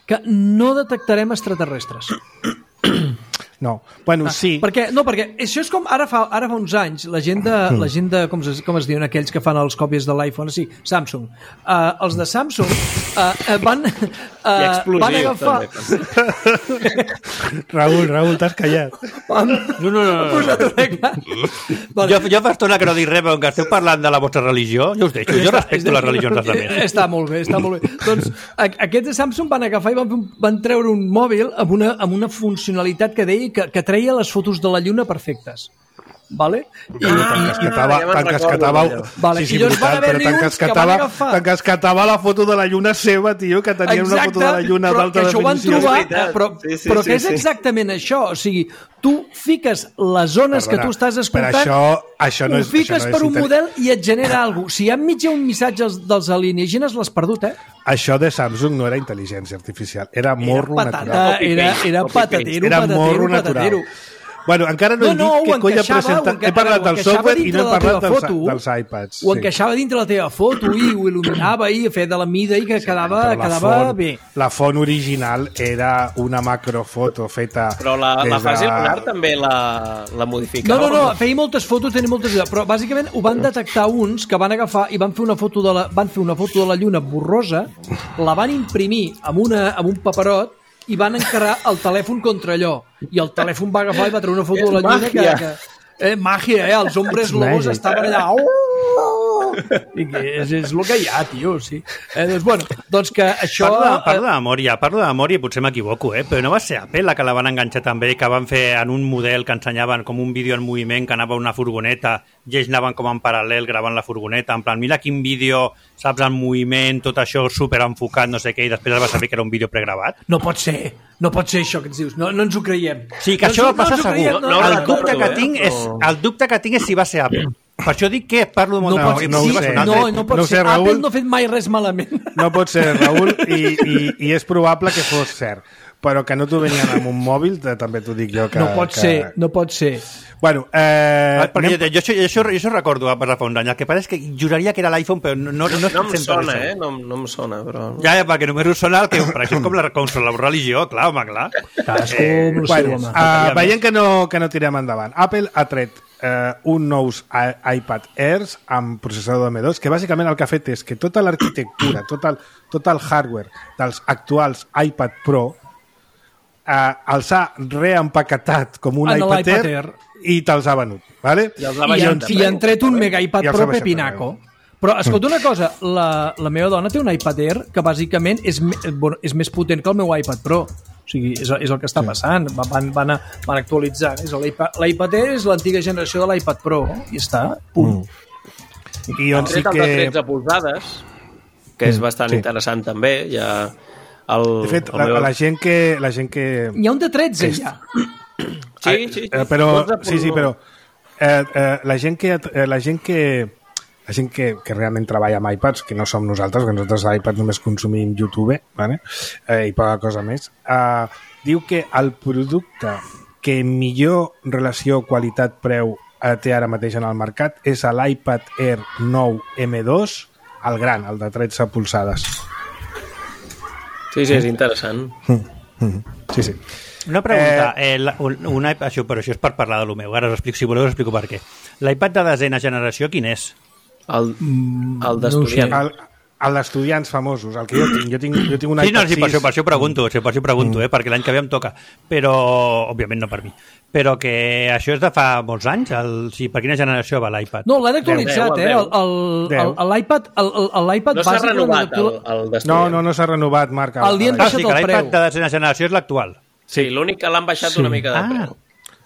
Que no detectarem extraterrestres. No, bueno, sí. Perquè això és com ara fa uns anys la gent de com es diuen aquells que fan els còpies de l'iPhone, sí, Samsung. Els de Samsung van agafar... Raül, t'has callat. No. Jo fa estona que no dic res, però que esteu parlant de la vostra religió, jo us deixo, jo respecto les religions dels altres. Està molt bé. Doncs aquests de Samsung van agafar i van treure un mòbil amb una funcionalitat que deia que treia les fotos de la lluna perfectes. Vale? T'encasquetava la foto de la lluna seva, tio, que tenien una foto de la lluna d'alta definició. Però què és exactament això? O sigui, tu fiques les zones que tu estàs escoltant, ho fiques per un model i et genera alguna cosa. Si enmig un missatge dels alienígenes, l'has perdut, Això de Samsung no era intel·ligència artificial, era morro natural. Era patatero. Era morro natural. Bueno, encara no he dit que colla presentat. He parlat del software i no he parlat dels iPads. Ho encaixava dintre la teva foto i ho il·luminava i feia de la mida i que quedava bé. La font original era una macrofoto feta... Però la fase lunar també la modificava. No, feia moltes fotos, tenia moltes... Però bàsicament ho van detectar uns que van agafar i van fer una foto de la lluna borrosa, la van imprimir amb un paperot i van encarar el telèfon contra allò. I el telèfon va agafar i va treure una foto de la lluna màgia, els hombres lobos estaven allà... I que és el que hi ha, tio, sí. Doncs que això... Parlo de memòria i potser m'equivoco, però no va ser Apple la que la van enganxar també, que van fer en un model que ensenyaven com un vídeo en moviment, que anava a una furgoneta i ells anaven com en paral·lel gravant la furgoneta, en plan, mira quin vídeo, saps, en moviment, tot això super enfocat, no sé què, i després es va saber que era un vídeo pregravat. No pot ser això que ens dius, no ens ho creiem. Sí, que això va passar segur. El dubte que tinc és si va ser Apple. Per això dic que parlo molt de memòria. No pot ser. Apple no ha fet mai res malament. No pot ser, Raül, i és probable que fos cert. Però que no t'ho venien amb un mòbil, també t'ho dic jo que... No pot ser. Bueno, jo això recordo per fa uns anys. El que passa és que juraria que era l'iPhone, però no em sona, no em sona, però... Ja, perquè només us sona el que... Per això és com la religió, clar. Veiem que no tirem endavant. Apple ha tret un nous iPad Airs amb processador de M2, que bàsicament el que ha fet és que tota l'arquitectura, tot el hardware dels actuals iPad Pro els ha reempaquetat com un iPad Air i te'ls ha venut, vale? I han tret un mega iPad Pro pepinaco. Però escolta una cosa, la meva dona té un iPad Air que bàsicament és més potent que el meu iPad Pro. O sigui, és el que està passant. Van actualitzant. L'iPad Air és l'antiga generació de l'iPad Pro i està, punt. I on sí que... de 13 polzades, que és bastant interessant també. De fet, la gent que... Hi ha un de 13 ja. Sí. Però la gent que realment treballa amb iPads, que no som nosaltres, que nosaltres a iPad només consumim YouTube, vale? I poca cosa més, diu que el producte que millor relació qualitat-preu té ara mateix en el mercat és l'iPad Air 9 M2, el gran, el de 13 polzades. Sí, és interessant. Sí. Una pregunta, però això és per parlar de lo meu, ara si voleu us explico per què. L'iPad de desena generació, quin és? El d'estudiant. Els estudiants famosos, el que jo tinc un iPad 6... Per això pregunto, perquè l'any que ve em toca, però, òbviament no per mi, però que això és de fa molts anys, per quina generació va l'iPad? No, l'han actualitzat, l'iPad no s'ha renovat el d'estudiant. No s'ha renovat, Marc. Li han baixat el preu. L'iPad de desena generació és l'actual. Sí, l'únic que l'han baixat una mica de preu.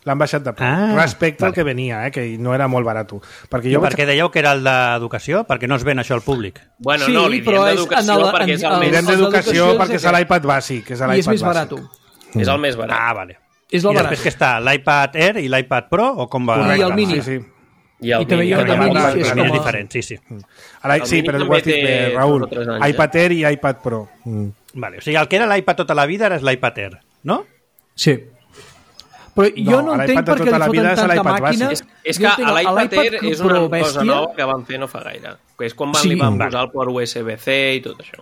L'han baixat de preu, respecte al que venia, que no era molt barat. Perquè dèieu que era el d'educació? Perquè no es ven això al públic. Bueno, no, li diem d'educació perquè és el més... Li diem d'educació perquè és l'iPad bàsic. I és més barat. És el més barat. Ah, vale. És I després que està l'iPad Air i l'iPad Pro, o com va? I el Mini. I el Mini. És diferent, sí. Sí, però ho has dit bé, Raül. iPad Air i iPad Pro. Vale, o sigui, el que era l'iPad tota la vida ara és l'iPad Air, no? Sí. Però jo no entenc per què li foten tanta màquina. És que l'iPad Air és una cosa nova que van fer no fa gaire. És quan li van posar el port USB-C i tot això.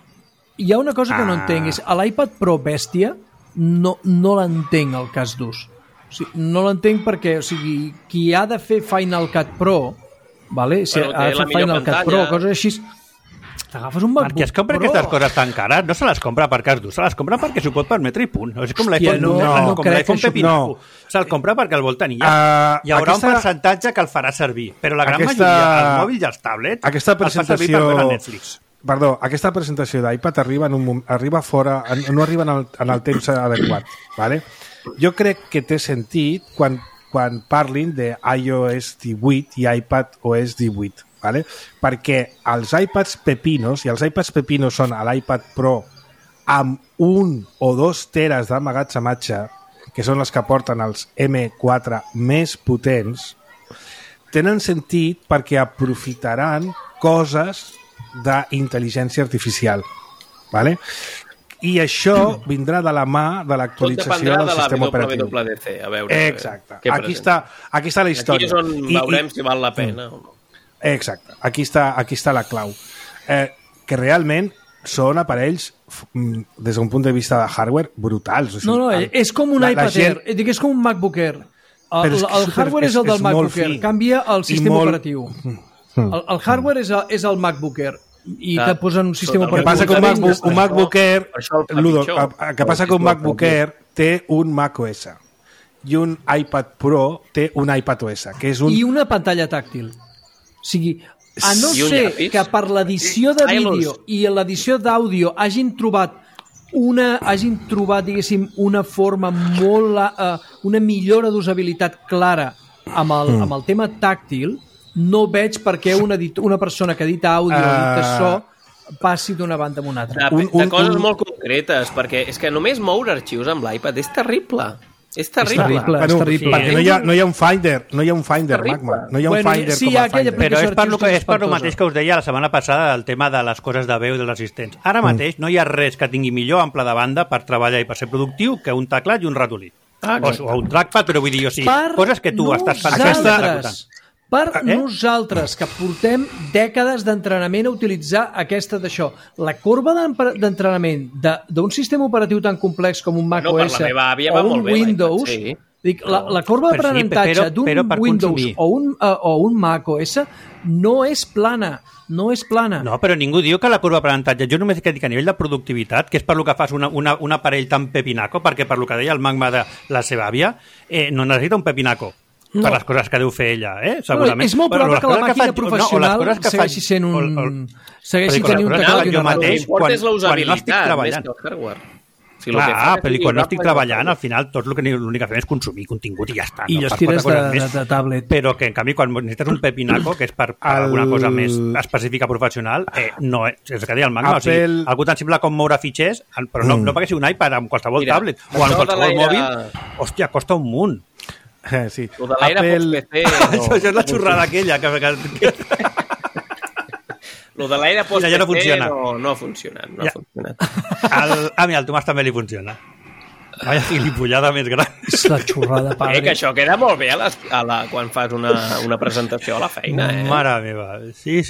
Hi ha una cosa que no entenc, és a l'iPad Pro bèstia no l'entenc el cas d'ús. No l'entenc perquè, qui ha de fer Final Cut Pro, vale? Si ha de fer Final Cut Pro, coses així... T'agafes un MacBook Pro. Perquè es compra aquestes coses tan cares, no se les compra per cas d'ús, se les compra perquè s'ho pot permetre i punt. És com l'iPhone Pepinaco. Se'l compra perquè el vol tenir. Hi haurà un percentatge que el farà servir, però la gran majoria, els mòbils i els tablets, els fa servir per veure Netflix. Perdó, aquesta presentació d'iPad arriba fora, no arriba en el temps adequat. Vale? Jo crec que té sentit quan parlin de iOS 18 i iPad OS 18. Vale? Perquè els iPads pepinos, i els iPads pepinos són l'iPad Pro amb 1 o 2 teres d'emmagatzematge, que són les que porten els M4 més potents, tenen sentit perquè aprofitaran coses d'intel·ligència artificial. Vale? I això vindrà de la mà de l'actualització del sistema operatiu. Tot dependrà de la WWDC. Exacte. Aquí està la història. Aquí és on veurem si val la pena o no. Exacte, aquí està la clau. Que realment són aparells, des d'un punt de vista de hardware, brutals. No, és com un iPad Air, és com un MacBook Air. El hardware és el del MacBook Air, canvia el sistema operatiu. El hardware és el MacBook Air i te posen un sistema operatiu. El que passa que un MacBook Air té un macOS i un iPad Pro té un iPadOS, que és i una pantalla tàctil. O sigui, a no ser que per l'edició de vídeo i l'edició d'àudio hagin trobat, diguéssim, una forma molt... una millora d'usabilitat clara amb el tema tàctil, no veig per què una persona que edita àudio o edita so passi d'una banda a una altra. De coses molt concretes, perquè és que només moure arxius amb l'iPad és terrible. És terrible. Perquè no hi ha un Finder, Magma. No hi ha un Finder com a Finder. Però és per el mateix que us deia la setmana passada del tema de les coses de veu i dels assistents. Ara mateix no hi ha res que tingui millor ample de banda per treballar i per ser productiu que un teclat i un ratolí. O un trackpad, però vull dir, coses que tu estàs pensant. Per nosaltres, que portem dècades d'entrenament a utilitzar d'això. La corba d'entrenament d'un sistema operatiu tan complex com un macOS o un Windows, la corba d'aprenentatge d'un Windows o un macOS no és plana. No és plana. No, però ningú diu que la corba d'aprenentatge... Jo només dic a nivell de productivitat, que és per lo que fas un aparell tan pepinaco, perquè per lo que deia el Magma de la seva àvia, no necessita un pepinaco. No. Per les coses que deu fer ella, segurament. És molt probable que la màquina professional segueixi sent segueixi tenint un teclat i una mateix. Quan no estic treballant. Però quan no estic treballant, al final tot l'únic que fem és consumir contingut i ja està. I estires de tablet. Però que, en canvi, quan necessites un pepinaco, que és per alguna cosa més específica professional, no és que deia el Magma. O sigui, algú tan simple com moure fitxers, però no perquè sigui un iPad amb qualsevol tablet o amb qualsevol mòbil, hòstia, costa un munt. Sí. Això és la xorrada aquella lo de l'aire post-PC no ha funcionat. Al Tomàs també li funciona. Vaya gilipollada més gran. És la xorrada, padre. Que això queda molt bé quan fas una presentació a la feina. Mare meva. Sí.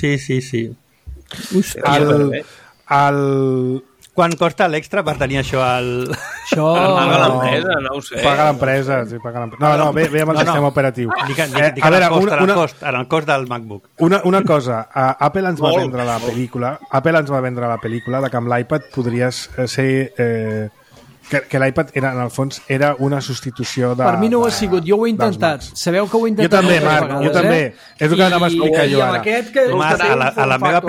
Quan costa l'extra per tenir això al... Això... Paga l'empresa, no ho sé. Paga l'empresa, sí, paga l'empresa. No, ve amb el sistema operatiu. Dic en el cost del MacBook. Una cosa, Apple ens va vendre la pel·lícula de que amb l'iPad podries ser... que l'iPad en el fons era una substitució de... Per mi no ho ha sigut, jo ho he intentat. Sabeu que ho he intentat. Jo també, Marc, jo també. És el que anava a explicar jo ara. A la meva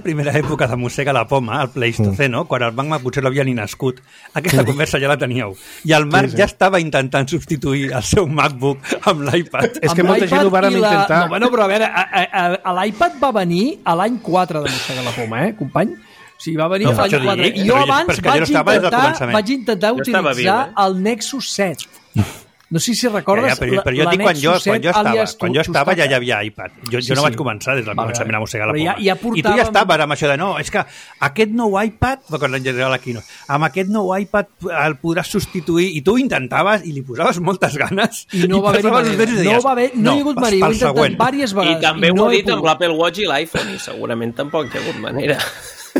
primera època de mossega la poma, al Pleistoceno, quan el MacBook potser l'havia ni nascut, aquesta conversa ja la teníeu. I el Marc ja estava intentant substituir el seu MacBook amb l'iPad. És que molta gent ho vàrem intentar. No, bueno, però a veure, l'iPad va venir a l'any 4 de mossega la poma, company? O sigui, va venir l'any 4. I jo abans vaig intentar utilitzar el Nexus 7. No sé si recordes però jo dic quan jo estava ja hi havia iPad. Jo no vaig començar des del començament a mossegar la poma. I tu ja estaves amb això de no, és que aquest nou iPad, quan l'engenerava la Keynote, amb aquest nou iPad el podràs substituir, i tu intentaves i li posaves moltes ganes i no va haver no hi ha hagut manera, ho he intentat diverses vegades. I també ho he dit amb l'Apple Watch i l'iPhone, i segurament tampoc hi ha hagut manera.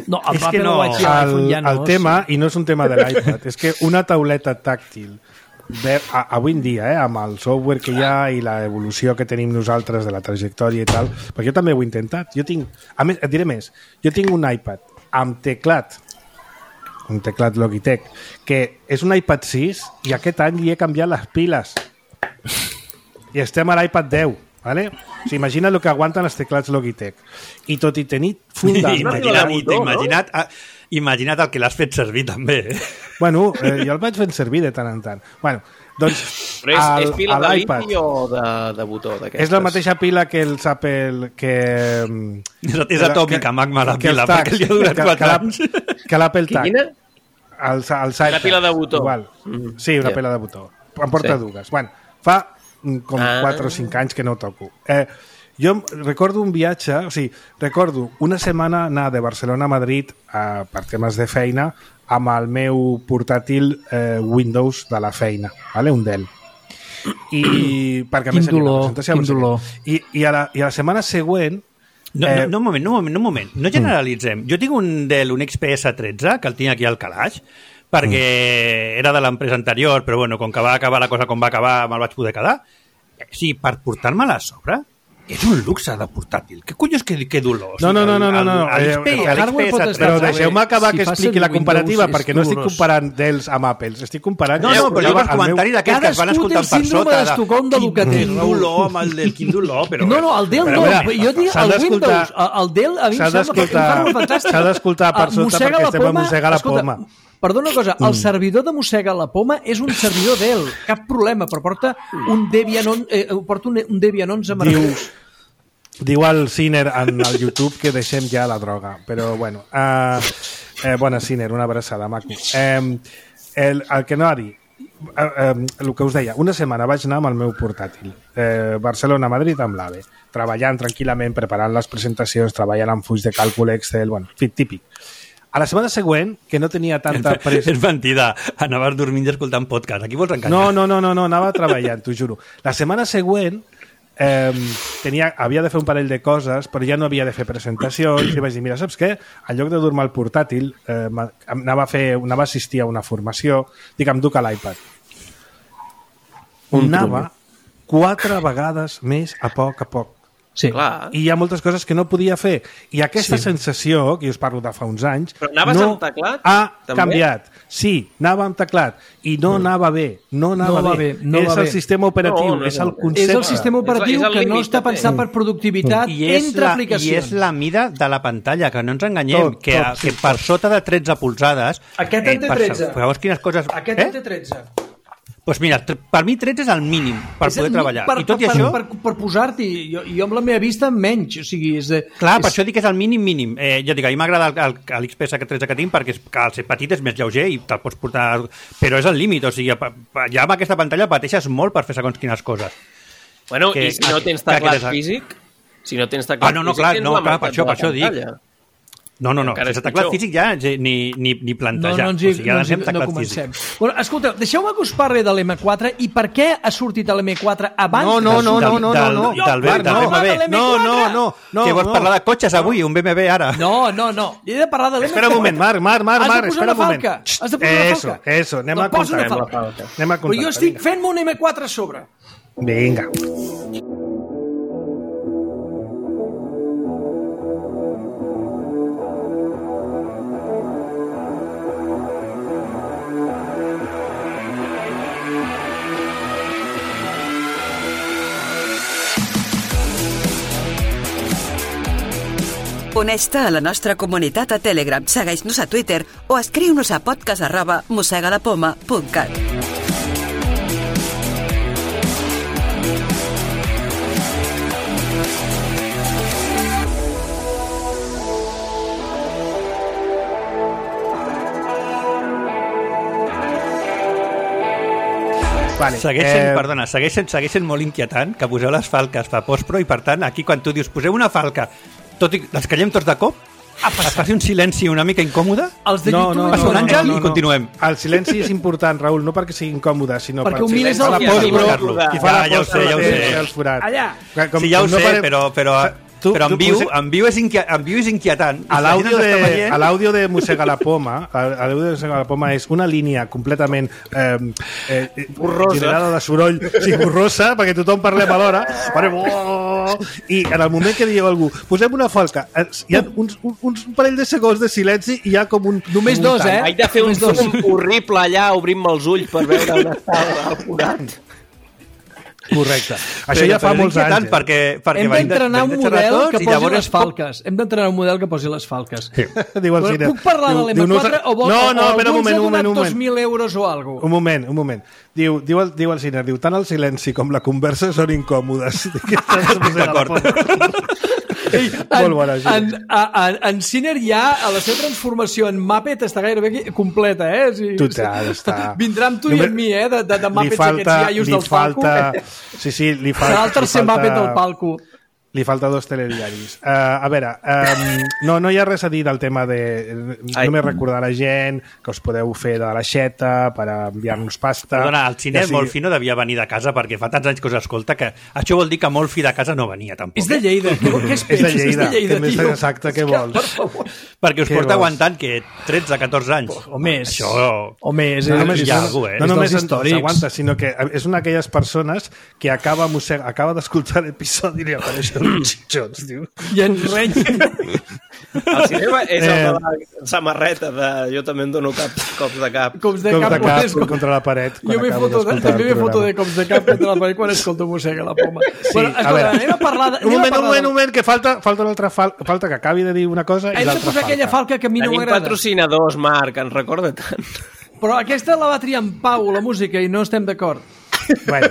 No, és que no, el tema, i no és un tema de l'iPad, és que una tauleta tàctil avui en dia, amb el software que hi ha i l'evolució que tenim nosaltres de la trajectòria i tal, perquè jo també ho he intentat. Jo tinc, a més, et diré més, jo tinc un iPad amb teclat, un teclat Logitech, que és un iPad 6 i aquest any li he canviat les piles. I estem a l'iPad 10, ¿vale? O sigui, imagina el que aguanten els teclats Logitech. I tot i tenir Imagina't el que l'has fet servir també. Bueno, jo el vaig fent servir de tant en tant. Bueno, doncs... Però és pila de liti o de botó? És la mateixa pila que els Apple... És atòmica, magma, la pila, perquè li ha durat 4 anys. Que l'Apple Tag. Quina? Una pila de botó. Igual. Sí, una pila de botó. Em porta dues. Bueno, fa com 4 o 5 anys que no toco. Jo recordo un viatge, o sigui, recordo una setmana anar de Barcelona a Madrid per temes de feina amb el meu portàtil Windows de la feina, ¿vale? Un Dell. I perquè quin dolor. I a la setmana següent... Un moment. No generalitzem. Jo tinc un Dell, un XPS 13, que el tinc aquí al calaix, perquè era de l'empresa anterior, però bueno, com que va acabar la cosa com va acabar, me'l vaig poder quedar. Sí, per portar-me-la a sobre... És un luxe de portàtil. Què collons que dolor? No. Però deixeu-me acabar que expliqui la comparativa, perquè no estic comparant Dells amb Apples, estic comparant... No, però jo els comentaris d'aquests que es van escoltant per sota... Quin dolor amb el Dell, quin dolor, però... No, el Dell no, jo dic el Windows, el Dell a mi em sembla fantàstic. S'ha d'escoltar per sota perquè estem a mossegar la poma. Perdona una cosa, el servidor de mossega la poma és un servidor Dell, cap problema, però porta un Debian 11 meravellós. Diu el Ciner en el YouTube que deixem ja la droga, però bueno. Bona, Ciner, una abraçada, maco. El que no ha dit, el que us deia, una setmana vaig anar amb el meu portàtil, Barcelona-Madrid amb l'AVE, treballant tranquil·lament, preparant les presentacions, treballant amb fulls de càlcul Excel, bueno, típic. A la setmana següent, que no tenia tanta pressa... És mentida, anaves dormint i escoltant podcast. Aquí vols enganyar? No, anava treballant, t'ho juro. La setmana següent havia de fer un parell de coses, però ja no havia de fer presentacions, i vaig dir, mira, saps què? En lloc de dur-me al portàtil, anava a assistir a una formació, dic, em duc a l'iPad. Anava 4 vegades més a poc. Sí. I hi ha moltes coses que no podia fer. I aquesta sensació, que jo us parlo de fa uns anys, però anaves amb teclat? Ha canviat. Sí, anava amb teclat. I no anava bé. No anava bé. És el sistema operatiu, és el concepte. És el sistema operatiu que no està pensat per productivitat entre aplicacions. I és la mida de la pantalla, que no ens enganyem, que per sota de 13 polzades... Aquest en té 13. Veus quines coses... Aquest en té 13. Doncs mira, per mi 13 és el mínim per poder treballar. I tot i això... Per posar-t'hi, jo amb la meva vista menys, o sigui... Clar, per això dic que és el mínim. Jo dic, a mi m'agrada l'XPS 13 que tinc perquè al ser petit és més lleuger i te'l pots portar... Però és el límit, o sigui, ja amb aquesta pantalla pateixes molt per fer segons quines coses. Bueno, i si no tens teclat físic? Si no tens teclat físic... Clar, per això dic. No, sense teclat físic ja ni plantejar. No comencem. Bueno, escolteu, deixeu-me que us parli de l'M4 i per què ha sortit l'M4 abans... No. Del BMW. No. Que vols parlar de cotxes avui, un BMW ara. No. He de parlar de l'M4. Espera un moment, Marc, espera un moment. Has de posar una falca. Eso, anem a comptar. Però jo estic fent-me un M4 a sobre. Vinga. Uneix-te a la nostra comunitat a Telegram, segueix-nos a Twitter o escriu-nos a podcast@mosegalapoma.cat. Vale. Segueix sent molt inquietant que poseu les falques per postpro i, per tant, aquí quan tu dius poseu una falca, tot i les callem tots de cop, es faci un silenci una mica incòmode, els de YouTube passa un àngel i continuem. El silenci és important, Raül, no perquè sigui incòmode, sinó perquè ho mires a la postpro i fa la postpro, ja ho sé. Allà. Sí, ja ho sé, però en viu és inquietant. L'àudio de Mossega la Poma, és una línia completament generada de soroll, borrosa, perquè tothom parlem alhora, i en el moment que dieu algú, posem una falca, hi ha uns parell de segons de silenci i hi ha com un... Només dos, Haig de fer un zoom horrible allà, obrint-me els ulls per veure on està el forat. Correcte. Això ja fa molts anys. Hem d'entrenar un model que posi les falques. Hem d'entrenar un model que posi les falques. Puc parlar de l'M4 o alguns ha donat 2.000 euros o alguna cosa? Un moment. Diu el Ciner, tant el silenci com la conversa són incòmodes. D'acord. En Ciner ja, a la seva transformació en Muppet està gairebé completa, Total, està... Vindrà amb tu i amb mi, de Muppets aquests iaios del palco. Sí, li falta... Serà el tercer Muppet del palco. Li falta 2 telediaris. A veure, no hi ha res a dir del tema de... Només recordar a la gent que us podeu fer de l'aixeta per enviar-nos pasta. Perdona, el Ciner molt fi no devia venir de casa perquè fa tants anys que us escolta que això vol dir que molt fi de casa no venia tampoc. És de Lleida. Què és de Lleida, tio? Exacte, què vols? Perquè us porta aguantant, que 13-14 anys. O més. Això... O més, No només s'aguanta, sinó que és una d'aquelles persones que acaba d'escoltar l'episodi i apareix xitxons, tio. I en reny. El cinema és el de la samarreta de jo també em dono cops de cap. Cops de cap contra la paret. Jo m'he foto de cops de cap contra la paret quan escolto Mossega la Poma. Bueno, escolta, anem a parlar... Un moment, que falta una altra falta que acabi de dir una cosa i l'altra falta. Hem de posar aquella falca que a mi no m'agrada. Tenim patrocinadors, Marc, ens recorda tant. Però aquesta la va triar en Pau, la música, i no estem d'acord. Bueno,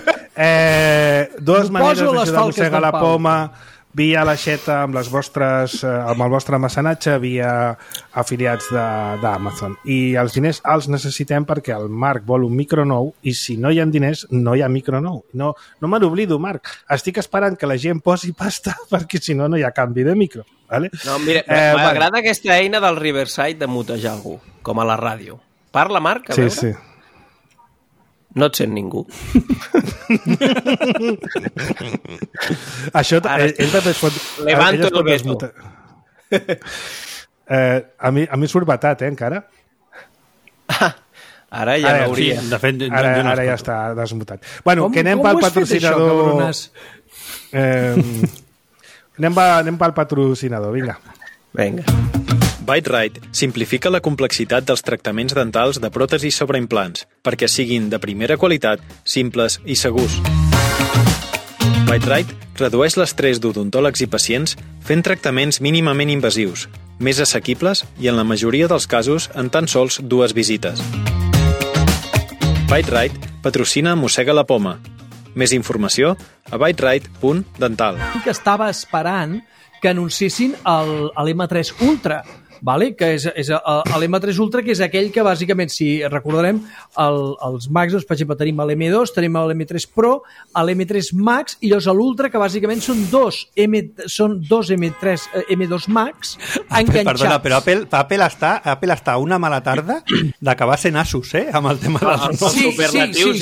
dues maneres d'ajudar Mossega la Poma, via l'aixeta amb el vostre mecenatge, via afiliats d'Amazon. I els diners els necessitem perquè el Marc vol un micro nou i si no hi ha diners no hi ha micro nou. No me n'oblido, Marc. Estic esperant que la gent posi pasta perquè si no hi ha canvi de micro. Vale? No, mira, m'agrada aquesta eina del Riverside de mutejar algú, com a la ràdio. Parla, Marc, a veure. Sí. No et sent ningú. Això ell també es pot... Levanto el veto. A mi surt batat, encara. Ara ja no hauria. De fet, ara ja està desmutat. Bueno, que anem pel patrocinador... Anem pel patrocinador, vinga. Bite-Right simplifica la complexitat dels tractaments dentals de pròtesis sobre implants perquè siguin de primera qualitat, simples i segurs. Bite-Right redueix l'estrès d'odontòlegs i pacients fent tractaments mínimament invasius, més assequibles i en la majoria dels casos en tan sols 2 visites. Bite-Right patrocina Mossega la Poma. Més informació a biteright.dental. Que estava esperant que anunciessin l'M3 Ultra, vale? Que és l'M3 Ultra, que és aquell que bàsicament, si recordarem, els Macs, doncs, per exemple, tenim l'M2, tenim l'M3 Pro, l'M3 Max, i llavors l'Ultra, que bàsicament són dos M2 Max enganxats. Perdona, però Apple està una mala tarda d'acabar sent Asus, amb el tema de les superlatius.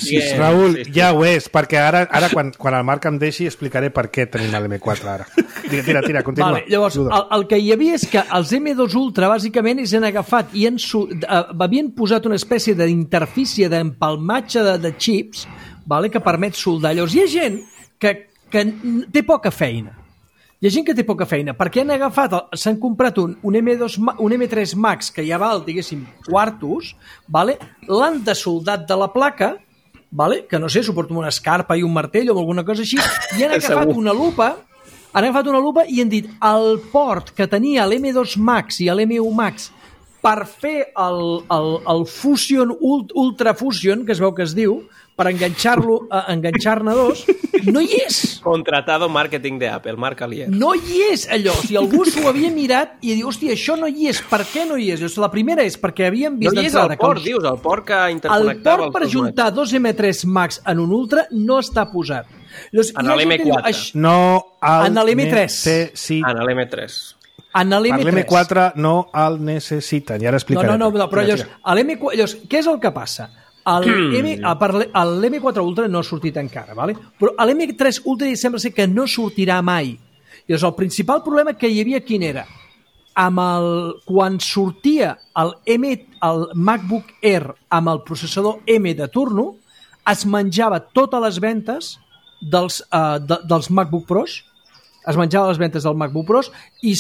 Sí. Raül, ja ho és, perquè ara quan el Marc em deixi explicaré per què tenim l'M4 ara. Tira, continua. Vale, llavors, el que hi havia és que els M2 Ultra bàsicament han agafat i havien posat una espècie d'interfície d'empalmatge de xips, vale, que permet soldar. Llavors hi ha gent que té poca feina. Hi ha gent que té poca feina, perquè s'han comprat un M3 Max que ja val, diguéssim, quartos, vale? L'han desoldat de la placa, vale? Que no sé, suporta una escarpa i un martell o alguna cosa així, i han agafat una lupa i han dit el port que tenia l'M2 Max i l'M1 Max per fer el Fusion, Ultra Fusion, que es veu que es diu, per enganxar-ne dos, no hi és. Contratado marketing de Apple, Marc Alier. No hi és, allò. Si algú s'ho havia mirat i diu, hòstia, això no hi és. Per què no hi és? Llavors, la primera és perquè havíem vist... No hi és el port, dius, el port que interconnectava... El port per juntar dos M3 Max en un Ultra no està posat. Llavors, en l'M4. No en l'M3. En l'M3. Per l'M4 no el necessiten, i ara explicaré. No, però llavors, què és el que passa? L'M4 Ultra no ha sortit encara, ¿vale? Però l'M3 Ultra sembla ser que no sortirà mai. Llavors, el principal problema que hi havia quin era? Quan sortia el MacBook Air amb el processador M de turno, es menjava totes les ventes dels MacBook Pros, es menjava les ventes del MacBook Pros i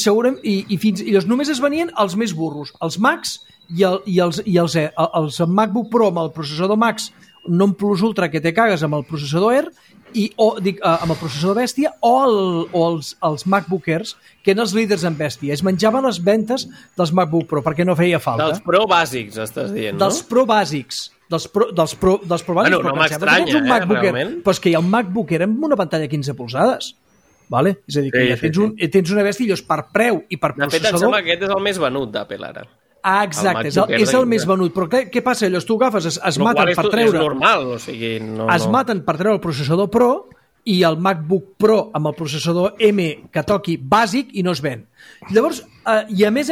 només es venien els més burros, els Macs i els MacBook Pro amb el processador Max non plus Ultra que te cagues amb el processador Air amb el processador Bèstia o els MacBook Airs, que eren els líders en Bèstia. Es menjaven les ventes dels MacBook Pro perquè no feia falta. Dels Pro bàsics, estàs dient, no? Dels Pro bàsics. Dels Pro bàsics. Bueno, no m'estranya, realment. Però és que hi ha un MacBook Air amb una pantalla 15 polzades. Vale? És a dir, que tens una bèstia i per preu i per processador... De fet, em sembla que aquest és el més venut d'Apple ara. Ah, exacte, és el més venut. Però què passa? Llavors tu agafes, es maten per treure... És normal, o sigui... Es maten per treure el processador Pro i el MacBook Pro amb el processador M que toqui bàsic i no es ven. Llavors, i a més,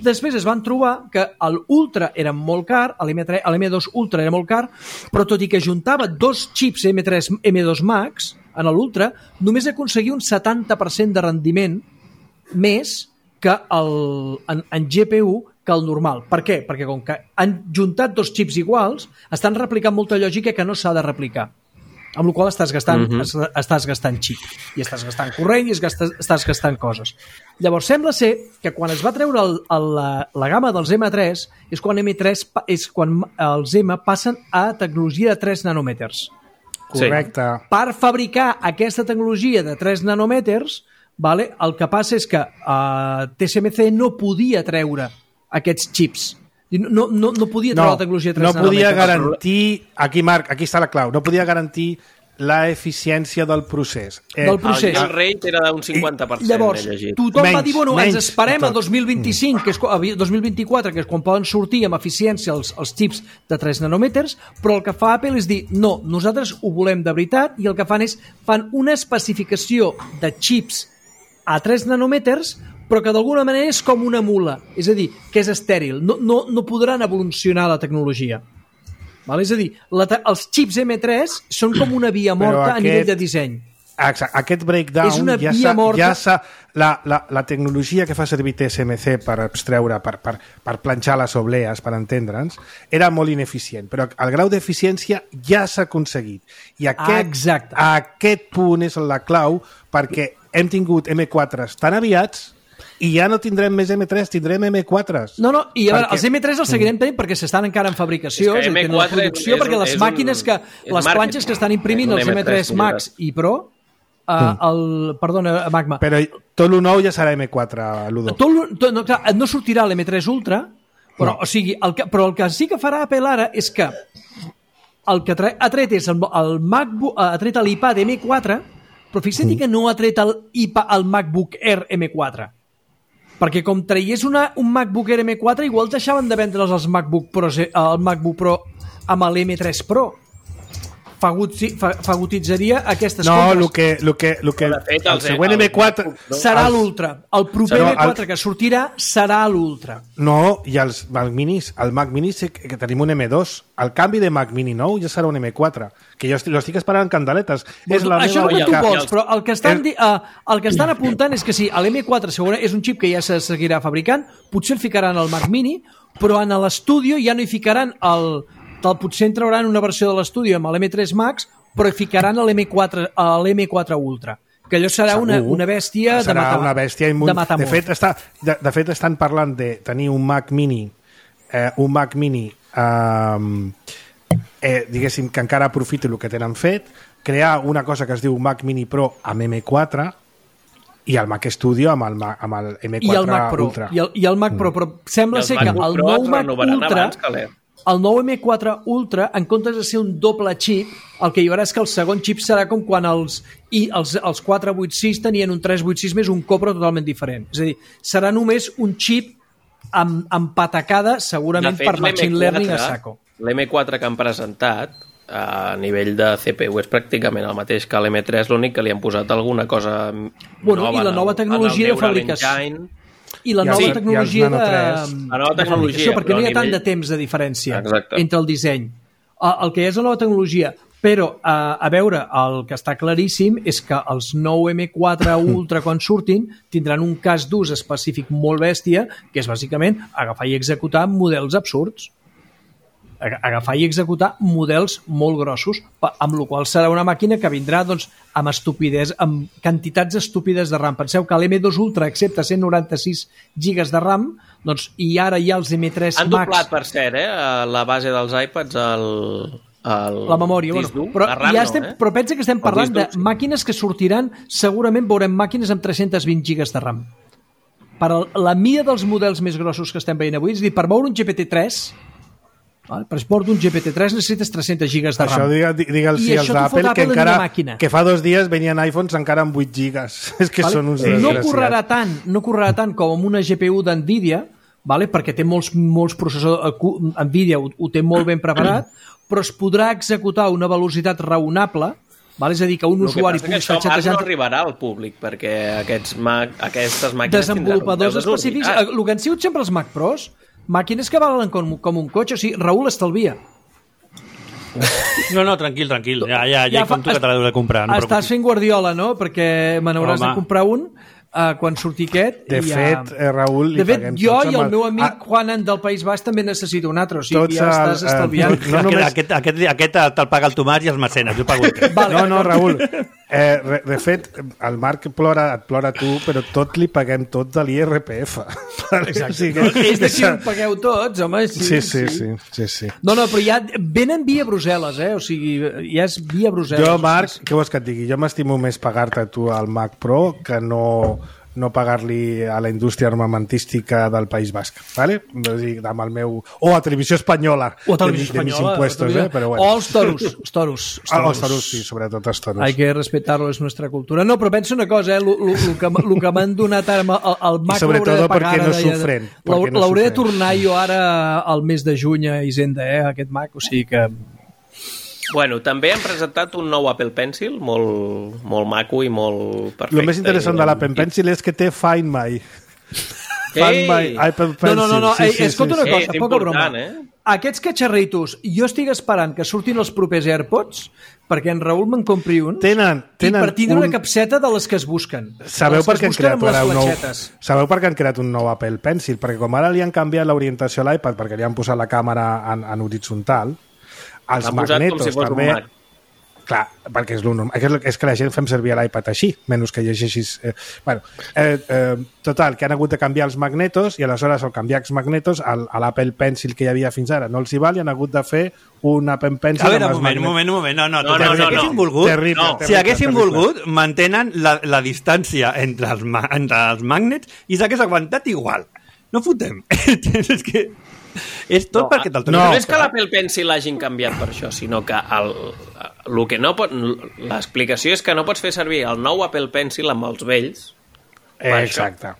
després es van trobar que l'Ultra era molt car, l'M2 Ultra era molt car, però tot i que juntava dos xips M3, M2 Max en l'Ultra, només aconseguia un 70% de rendiment més que en GPU que el normal. Per què? Perquè com que han juntat dos xips iguals, estan replicant molta lògica que no s'ha de replicar. Amb la qual estàs gastant xip, i estàs gastant corrent i estàs gastant coses. Llavors, sembla ser que quan es va treure la gamma dels M3 és quan els M passen a tecnologia de 3 nanòmetres. Correcte. Per fabricar aquesta tecnologia de 3 nanòmetres, vale, el que passa és que TSMC no podia treure aquests xips. No podia treure la tecnologia de 3 nanòmetres. No podia garantir... Aquí, Marc, aquí està la clau. No podia garantir la eficiència del procés. El rate era d'un 50%. Llavors, tothom va dir, bueno, ens esperem a 2025, que és 2024, que és quan poden sortir amb eficiència els xips de 3 nanòmetres, però el que fa Apple és dir, no, nosaltres ho volem de veritat, i el que fan una especificació de xips a 3 nanòmetres, però que d'alguna manera és com una mula, és a dir, que és estèril, no podran evolucionar la tecnologia. Val? És a dir, els xips M3 són com una via morta a nivell de disseny. Exacte. Aquest breakdown la tecnologia que fa servir TSMC per abstreure, per planxar les oblees, per entendre'ns, era molt ineficient, però el grau d'eficiència ja s'ha aconseguit. I aquest punt és la clau, perquè hem tingut M4s tan aviats i ja no tindrem més M3, tindrem M4s. No, i a veure, els M3 els seguirem tenint perquè s'estan encara en fabricació, és en producció, perquè les màquines les planxes que estan imprimint els M3 Max i Pro, perdona, Magma. Però tot el nou ja serà M4, Ludo. No sortirà l'M3 Ultra, però el que sí que farà Apple ara és que el que ha tret és el MacBook, ha tret l'iPad M4, però fixa't que no ha tret el MacBook Air M4. Perquè com traiés un MacBook Air M4, igual deixaven de vendre'ls els MacBook Pro amb l'M3 Pro. Fagotitzaria aquestes compres. No, el següent M4 serà l'Ultra. El proper M4 que sortirà serà l'Ultra. No, i els Mac Minis, el Mac Mini que tenim un M2. El canvi de Mac Mini nou ja serà un M4, que jo l'estic esperant en candeletes. Això que tu vols, però el que estan apuntant és que sí, l'M4 segurament és un xip que ja se seguirà fabricant, potser el ficaran al Mac Mini, però en l'estudi ja no hi ficaran potser en trauran una versió de l'estudi amb l'M3 Max, però hi ficaran l'M4 Ultra, que allò serà una bèstia de matar. Serà una bèstia de fet estan parlant de tenir un Mac Mini diguéssim que encara aprofiti el que tenen fet, crear una cosa que es diu Mac Mini Pro amb M4 i el Mac Studio amb el M4 i el Mac Pro, Ultra. I el Mac Pro, però sembla ser que el nou Mac Ultra, el nou M4 Ultra, en comptes de ser un doble xip, el que hi haurà és que el segon xip serà com quan els 486 tenien un 386 més un Copro totalment diferent. És a dir, serà només un xip amb patacada, segurament per machine learning a saco. L'M4 que han presentat a nivell de CPU és pràcticament el mateix que l'M3, l'únic que li han posat alguna cosa nova. I la nova tecnologia de fabricació. I la nova tecnologia de... perquè no hi ha tant de temps de diferència entre el disseny. El que és la nova tecnologia, però a veure, el que està claríssim és que els nou M4 Ultra quan surtin tindran un cas d'ús específic molt bèstia, que és bàsicament agafar i executar models absurds. Agafar i executar models molt grossos, amb la qual serà una màquina que vindrà amb quantitats estúpides de RAM. Penseu que l'M2 Ultra accepta 196 GB de RAM, doncs, i ara hi ha els M3 Max... Han doblat, per cert, la base dels iPads la memòria, però pensa que estem parlant de màquines que sortiran, segurament veurem màquines amb 320 GB de RAM. Per la mida dels models més grossos que estem veient avui, és a dir, per moure un GPT-3, per export d'un GPT-3 necessites 300 gigas de RAM. Això digue'ls als d'Apple que fa 2 dies venien iPhones encara amb 8 gigas. És que són uns desgraciats. No correrà tant com amb una GPU d'NVIDIA, perquè té molts processadors, NVIDIA ho té molt ben preparat, però es podrà executar a una velocitat raonable, és a dir, que un usuari pugui estar xatejant... no arribarà al públic, perquè aquestes màquines desenvolupadors específics, el que han sigut sempre els Mac Pros, màquines que valen com un cotxe. O sigui, Raül estalvia. No, tranquil. Ja hi compto que te l'heu de comprar. Estàs fent Guardiola, no? Perquè me n'hauràs de comprar un quan surti aquest. De fet, Raül... De fet, jo i el meu amic Juanan del País Basc també necessito un altre. O sigui, ja estàs estalviant. Aquest te'l paga el Tomàs i els mecenes. Jo pago el teu. No, Raül. De fet, el Marc et plora tu, però tot li paguem tot de l'IRPF. Exacte. És de si ho pagueu tots, home. Sí. No, però ja venen via Brussel·les, o sigui, ja és via Brussel·les. Jo, Marc, què vols que et digui? Jo m'estimo més pagar-te tu al Mac Pro que no pagar-li a la indústria armamentística del País Basc, ¿vale? Amb el meu... O a Televisió Espanyola. O a Televisió Espanyola. Impuestos, però bueno. O els toros. Els toros, sí, sobretot els toros. Hay que respetarlo, és nostra cultura. No, però penso una cosa, el que m'han donat ara, el Mac l'hauré de pagar... I sobretot perquè no sofren. L'hauré de tornar jo ara al mes de juny a Hisenda, aquest Mac, o sigui que... Bueno, també han presentat un nou Apple Pencil, molt maco i molt perfecte. El més interessant de l'Apple Pencil és que té Find My. Find My Apple Pencil. No, escolta una cosa, poca broma. Aquests catxarritos, jo estic esperant que surtin els propers AirPods perquè en Raül me'n compri un i per tindre una capseta de les que es busquen. Sabeu per què han creat un nou Apple Pencil? Perquè com ara li han canviat l'orientació a l'iPad perquè li han posat la càmera en horitzontal, els magnetos també... Clar, perquè és lo normal. És que la gent fem servir l'iPad així, menys que llegeixis... Total, que han hagut de canviar els magnetos i aleshores al canviar els magnetos a l'Apple Pencil que hi havia fins ara no els hi val i han hagut de fer un Apple Pencil... A veure, un moment. No. Si haguessin volgut, mantenen la distància entre els magnets i s'hagués aguantat igual. No fotem. És que... És tot perquè te'l no és que l'Apple Pencil l'hagin canviat per això, sinó que l'explicació és que no pots fer servir el nou Apple Pencil amb els vells. Exacte.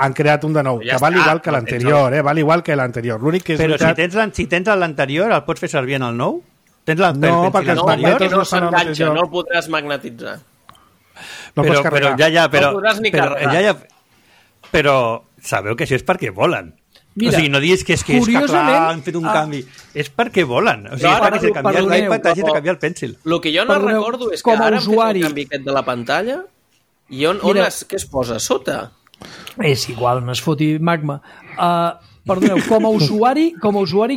han creat un de nou, que val igual que l'anterior, val igual que l'anterior. L'únic que és però veritat... si tens l'anterior, el pots fer servir en el nou? Tens No, perquè els magnetos no s'enganxa, no el podràs magnetitzar. No pots carregar. No podràs ni carregar. Però sabeu que això és perquè volen. Mira, o sigui, no diguis que és que han fet un canvi. És perquè volen. O sigui, és perquè s'ha canviat l'iPad, hagi de canviar el Pencil. El que jo no recordo és que ara han fet el canvi aquest de la pantalla i què es posa a sota? És igual, no es foti magma. Perdoneu, com a usuari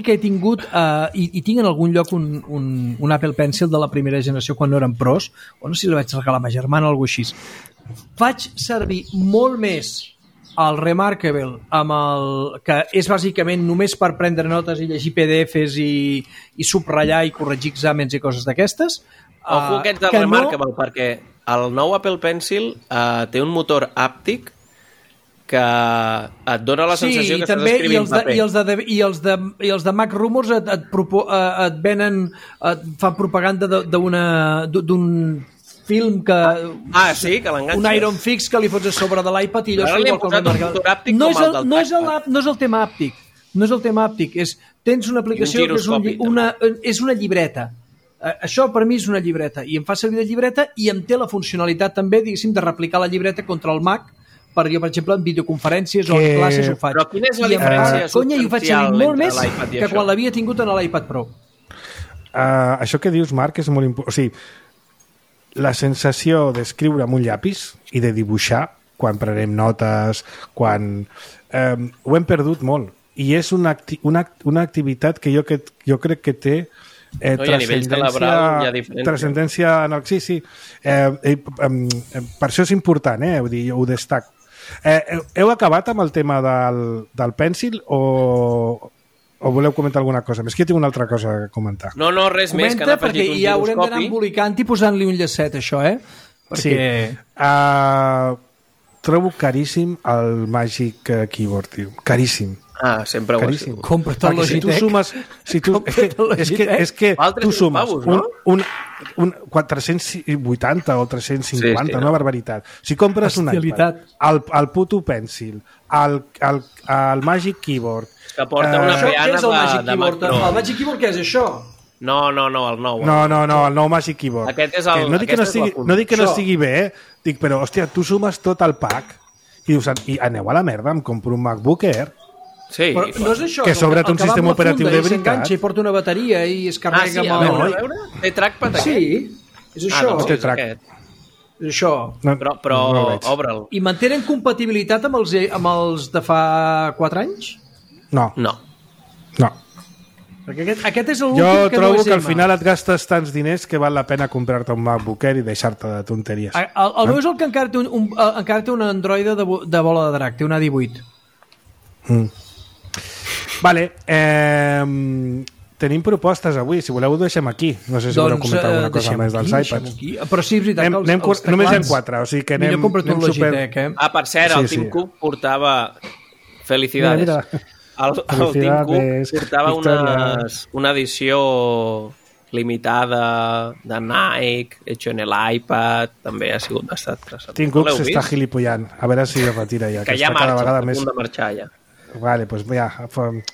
que he tingut i tinc en algun lloc un Apple Pencil de la primera generació quan no eren pros, o no sé si li vaig regalar a ma germana o alguna cosa així, faig servir molt més el Remarkable, que és bàsicament només per prendre notes i llegir PDFs i subratllar i corregir exàmens i coses d'aquestes. Ojo aquest del Remarkable, perquè el nou Apple Pencil té un motor àptic que et dona la sensació que estàs escrivint paper. I els de Mac Rumors et venen, et fan propaganda d'un film que... sí, que l'enganxes. Un Iron Fix que li fots a sobre de l'iPad i allò... Ara li hem posat un motor àptic com el del trackpad. No és el tema àptic. No és el tema àptic. Tens una aplicació que és una llibreta. Això per mi és una llibreta. I em fa servir de llibreta i em té la funcionalitat també, diguéssim, de replicar la llibreta contra el Mac. Per jo, per exemple, en videoconferències o en classes ho faig. Però quina és la diferència substancial i ho faig servir molt més que quan l'havia tingut en l'iPad Pro. Això que dius, Marc, és molt important. O sigui, la sensació d'escriure amb un llapis i de dibuixar quan prenem notes, quan... ho hem perdut molt. I és una activitat que jo crec que té transcendència en el... Sí. Per això és important, vull dir, ho destac. Heu acabat amb el tema del Pencil o voleu comentar alguna cosa més? Que jo tinc una altra cosa a comentar. No, res més, que han afegit un giroscopi. Ja haurem d'anar embolicant i posant-li un llacet, això, Perquè... trobo caríssim el Magic Keyboard, tio. Caríssim. Sempre ho ha sigut. Compra't el Logitech. És que tu sumes un 480 o 350, una barbaritat. Si compres un iPad, el puto Pencil, el Magic Keyboard... Que porta una peana de Mac Pro. El Magic Keyboard què és això? No, el nou. No, el nou Magic Keyboard. Aquest és el... No dic que no estigui bé, dic, però, hòstia, tu sumes tot el pack i dius, aneu a la merda, em compro un MacBook Air. Sí, però no és això, que sobretot un sistema operatiu de veritat. S'enganxa i porta una bateria i es carrega amb el... Té trackpad aquest? Sí, és això. Té track. És això. Però obre'l. I mantenen compatibilitat amb els de fa 4 anys? No. Perquè aquest és l'últim que no és... Jo trobo que al M. final et gastes tants diners que val la pena comprar-te un MacBook Air i deixar-te de tonteries. El meu és el que encara té un Android de bola de drac, té un A18. Vale, tenim propostes avui, si voleu ho deixem aquí. No sé si voleu comentar alguna cosa més dels iPads. Però sí, és veritat que els teclats... Només hi ha 4, o sigui que anem... Millor compra't un Logitech, per cert, el Tim Cook portava... Felicidades. El Tim Cook portava una edició limitada de Nike, hecho en l'iPad, també ha sigut bastant interessant. Tim Cook s'està gilipollant, a veure si es retira ja. Que ja marxa, a punt de marxar ja. Vale, pues ja.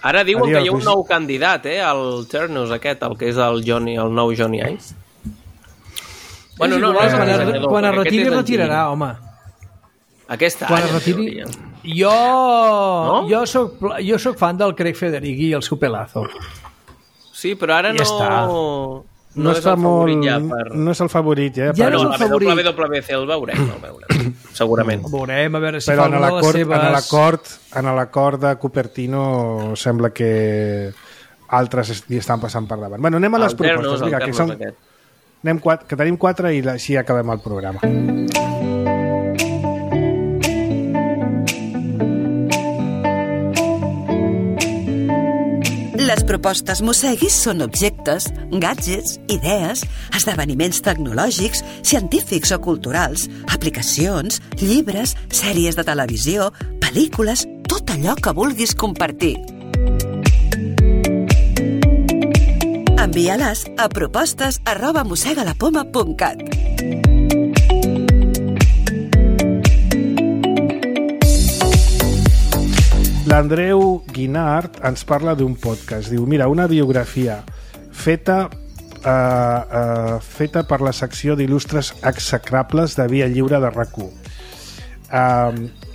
Ara diuen que hi ha un nou candidat, el Ternus aquest, el que és el nou Johnny Ive. Bueno, quan es retiri, retirarà, home. Aquest any, en teoria. Jo soc fan del Craig Federighi i el seu pelazo. Sí, però ara no és el favorit ja per... No és el favorit, ja no és el favorit. El WWDC el veurem, segurament. Veurem, a veure si però fa una de les seves... en l'acord de Cupertino sembla que altres hi estan passant per davant. Bueno, anem a les propostes. Vinga, que tenim 4 i així acabem el programa. Les propostes Mosseguis són objectes, gadgets, idees, esdeveniments tecnològics, científics o culturals, aplicacions, llibres, sèries de televisió, pel·lícules, tot allò que vulguis compartir. Envia-les a propostes@mossegalapoma.cat. l'Andreu Guinart ens parla d'un podcast. Diu, mira, una biografia feta per la secció d'il·lustres execrables de Via Lliure de RAC1.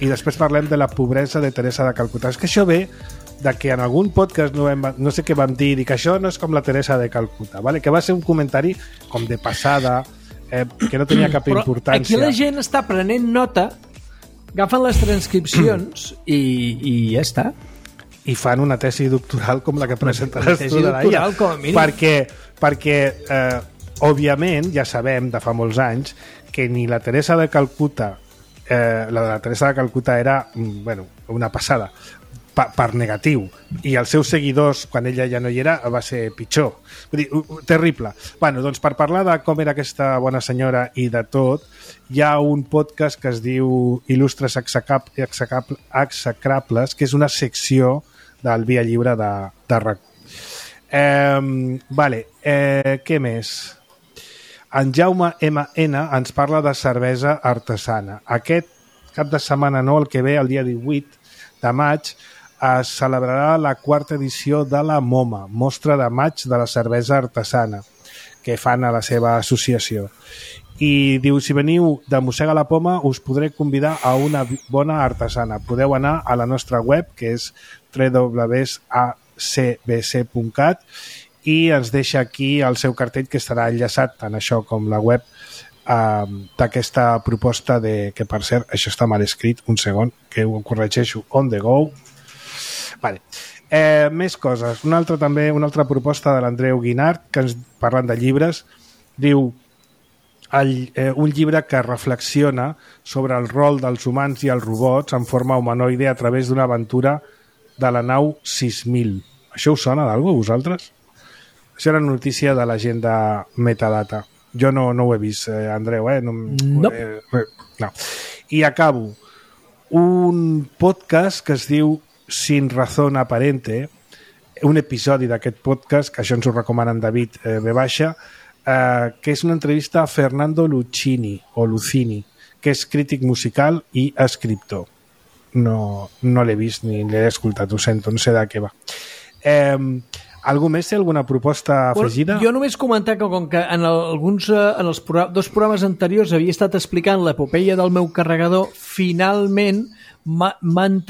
I després parlem de la pobresa de Teresa de Calcuta. És que això ve de que en algun podcast no sé què vam dir, que això no és com la Teresa de Calcuta, ¿vale? Que va ser un comentari com de passada, que no tenia cap importància. Aquí la gent està prenent nota, agafen les transcripcions i ja està. I fan una tesi doctoral com la que presentaràs tu de l'Aia. Perquè òbviament, ja sabem de fa molts anys que ni la Teresa de Calcuta la de la Teresa de Calcuta era una passada per negatiu, i els seus seguidors quan ella ja no hi era va ser pitjor, vull dir, terrible. Doncs per parlar de com era aquesta bona senyora i de tot, hi ha un podcast que es diu Il·lustres execrables, que és una secció del Via Lliure de RAC. Què més? En Jaume M.N. ens parla de cervesa artesana. Aquest cap de setmana, no, el que ve, el dia 18 de maig, es celebrarà la 4ª edició de la MoMA, Mostra de Maig de la Cervesa Artesana, que fan a la seva associació. I diu, si veniu de Mossega la Poma, us podré convidar a una bona artesana. Podeu anar a la nostra web, que és www.acbc.cat, i ens deixa aquí el seu cartell, que estarà enllaçat tant això com la web d'aquesta proposta que, per cert, això està mal escrit, un segon, que ho corregeixo on the go. Més coses. Una altra proposta de l'Andreu Guinart, que ens parlant de llibres, diu un llibre que reflexiona sobre el rol dels humans i els robots en forma humanoide a través d'una aventura de la nau 6000. Això us sona d'algú a vosaltres? Això era notícia de la gent de Metadata. Jo no ho he vist, Andreu, No. I acabo. Un podcast que es diu Sin Razón Aparente, un episodi d'aquest podcast, que això ens ho recomana en David V, que és una entrevista a Fernando Lucchini, que és crític musical i escriptor. No l'he vist ni l'he escoltat, ho sento, no sé de què va. Algú més té alguna proposta afegida? Jo només comentar que com que en els dos programes anteriors havia estat explicant l'epopeia del meu carregador, finalment m'han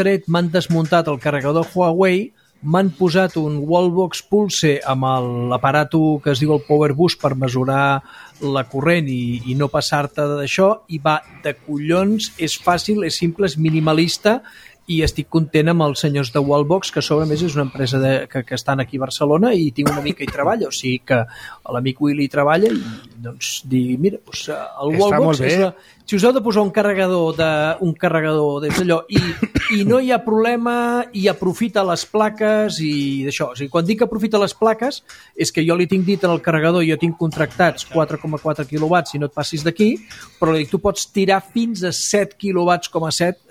desmuntat el carregador Huawei, m'han posat un Wallbox Pulse amb l'aparato que es diu el Power Boost per mesurar la corrent i no passar-te d'això, i va de collons, és fàcil, és simple, és minimalista, i estic content amb els senyors de Wallbox, que a sobre més és una empresa que estan aquí a Barcelona, i tinc un amic que hi treballa, o sigui que l'amic Willy hi treballa, i doncs dir, mira, el Wallbox si us heu de posar un carregador des d'allò i no hi ha problema, i aprofita les plaques i d'això. O sigui, quan dic aprofita les plaques és que jo li tinc dit en el carregador, jo tinc contractats 4,4 quilowatts, si no et passis d'aquí, però li dic, tu pots tirar fins a 7 quilowatts,7,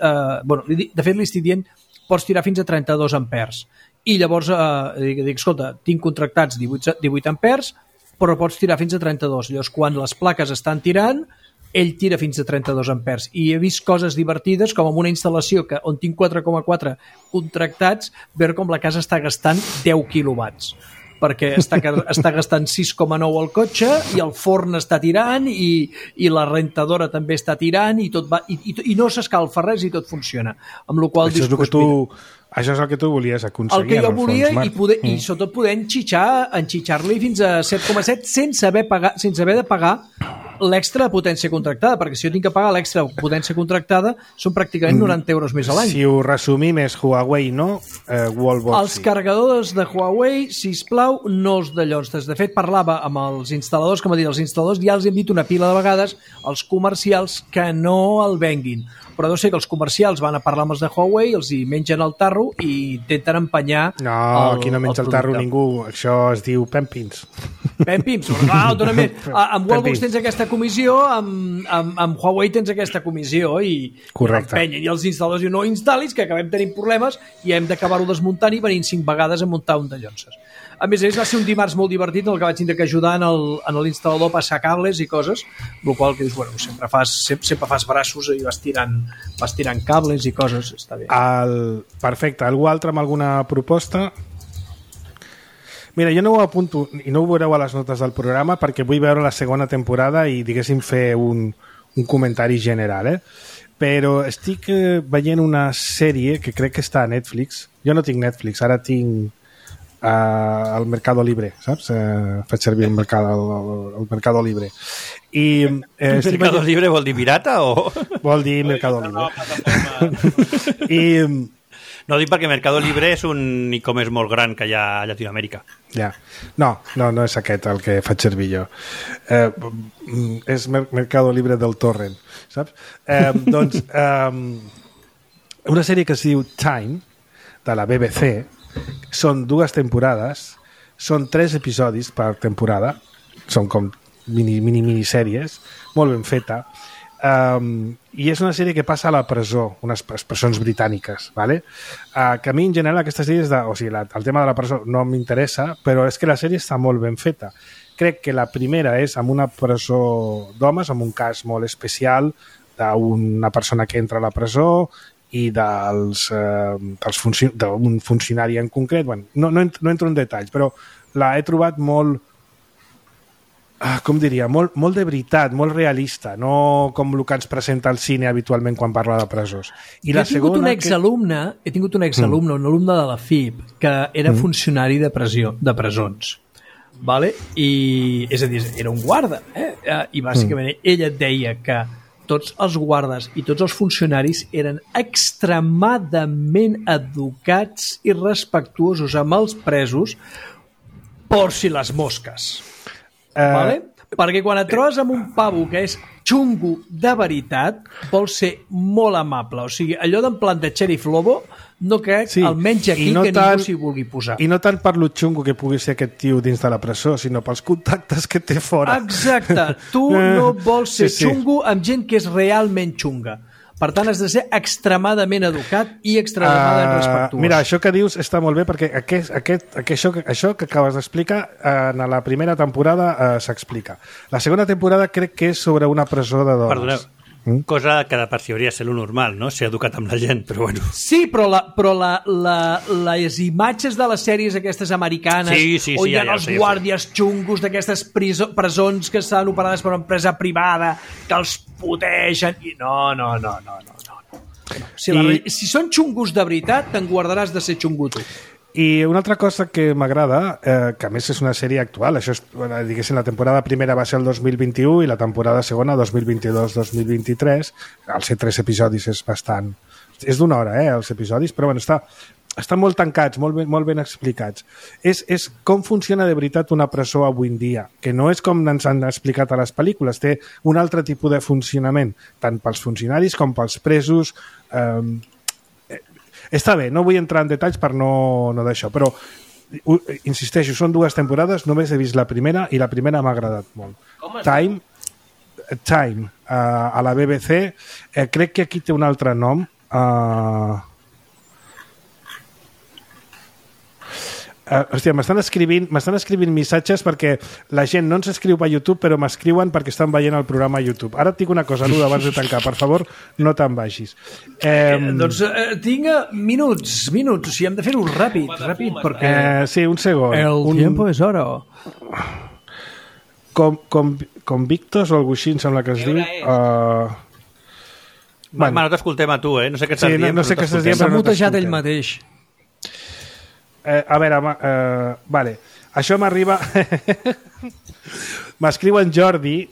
de fet li estic dient, pots tirar fins a 32 amperes. I llavors dic, escolta, tinc contractats 18 amperes, però pots tirar fins a 32. Llavors, quan les plaques estan tirant, ell tira fins a 32 amperes. I he vist coses divertides, com en una instal·lació on tinc 4,4 contractats, veure com la casa està gastant 10 quilowatts, perquè està gastant 6,9 al cotxe, i el forn està tirant, i la rentadora també està tirant, i tot va, i no s'escalfa res, i tot funciona. Amb la qual això és el que tu volies aconseguir. El que jo volia, i sobretot poder enxitxar-li fins a 7,7 sense haver de pagar l'extra de potència contractada, perquè si jo tinc que pagar l'extra de potència contractada són pràcticament 90 euros més a l'any. Si ho resumim és Huawei, no? Wallbox. Els carregadors de Huawei, sisplau, no els d'allò. De fet, parlava amb els instal·ladors, com a dir, els instal·ladors ja els hem dit una pila de vegades, els comercials, que no el venguin. Però deu ser que els comercials van a parlar amb els de Huawei, els hi mengen el tarro i intenten empenyar aquí no menja el tarro ningú, això es diu Pempins. Pim, sobretot, amb Wallbox tens aquesta comissió, amb Huawei tens aquesta comissió i empenyen, i els instal·ladors diuen no instal·lis, que acabem tenint problemes i hem d'acabar-ho desmuntant i venint 5 vegades a muntar un de llonces. A més, va ser un dimarts molt divertit en el que vaig tindre que ajudar en l'instal·lador a passar cables i coses, el qual que dius, bueno, sempre fas braços i vas tirant cables i coses, està bé. Perfecte. Algú altre amb alguna proposta? Mira, jo no ho apunto i no ho veureu a les notes del programa perquè vull veure la segona temporada i, diguéssim, fer un comentari general, Però estic veient una sèrie que crec que està a Netflix. Jo no tinc Netflix, ara tinc al Mercado Libre, saps? Faig servir el Mercado Libre. Mercado Libre vol dir pirata o...? Vol dir Mercado Libre. No dic perquè Mercado Libre és un e-commerce molt gran que hi ha a Llatinoamèrica. Ja. No és aquest el que faig servir jo. És Mercado Libre del Torrent, saps? Doncs, una sèrie que es diu Time, de la BBC, són 2 temporades, són 3 episodis per temporada, són com minisèries, molt ben feta, i és una sèrie que passa a la presó, unes presons britàniques, ¿vale? Que a mi en general aquesta sèrie el tema de la presó no m'interessa, però és que la sèrie està molt ben feta. Crec que la primera és amb una presó d'homes, amb un cas molt especial d'una persona que entra a la presó i d'un funcionari en concret. Bueno, no entro en detalls, però l'he trobat molt, com diria, molt de veritat, molt realista, no com el que ens presenta el cine habitualment quan parla de presons. He tingut un exalumne, un alumne de la FIP, que era funcionari de presons. Vale? I, és a dir, era un guarda, i bàsicament ell et deia que tots els guardes i tots els funcionaris eren extremadament educats i respectuosos amb els presos por si les mosques. Vale? Perquè quan et trobes amb un pavo que és xungo de veritat, vol ser molt amable. O sigui, allò d'en plan de Sheriff Lobo, no crec, almenys aquí, que ningú s'hi vulgui posar. I no tant per lo xungo que pugui ser aquest tio dins de la presó, sinó pels contactes que té fora. Exacte. Tu no vols ser xungo amb gent que és realment xunga. Per tant, has de ser extremadament educat i extremadament respectuós. Mira, això que dius està molt bé perquè això que acabes d'explicar en la primera temporada s'explica. La segona temporada crec que és sobre una presó de dones. Perdoneu. Cosa que de per si hauria de ser lo normal, no? Ser educat amb la gent, però bueno. Sí, però les imatges de les sèries aquestes americanes on hi ha els guàrdies xungos d'aquestes presons que estan operades per una empresa privada que els puteixen i no. Si són xungos de veritat, te'n guardaràs de ser xungo tu. I una altra cosa que m'agrada, que a més és una sèrie actual, això és, diguéssim, la temporada primera va ser el 2021 i la temporada segona 2022-2023, al ser 3 episodis és bastant... És d'una hora, els episodis, però bueno, estan molt tancats, molt ben explicats. És com funciona de veritat una presó avui en dia, que no és com ens han explicat a les pel·lícules, té un altre tipus de funcionament, tant pels funcionaris com pels presos... Està bé, no vull entrar en detalls per no d'això, però insisteixo, són 2 temporades, només he vist la primera i la primera m'ha agradat molt. Time, a la BBC, crec que aquí té un altre nom. Hòstia, m'estan escrivint missatges perquè la gent no ens escriu per YouTube però m'escriuen perquè estan veient el programa a YouTube. Ara et dic una cosa, Luda, abans de tancar, per favor no te'n vagis. Doncs tinc minuts, o sigui, hem de fer-ho ràpid perquè... Sí, un segon. El tiempo és oro. Convictos o alguna cosa així, em sembla que es diu... No t'escoltem a tu, no sé què estàs dient. No sé què estàs dient, s'ha mutejat ell mateix. A veure, vale. Això m'arriba... M'escriu en Jordi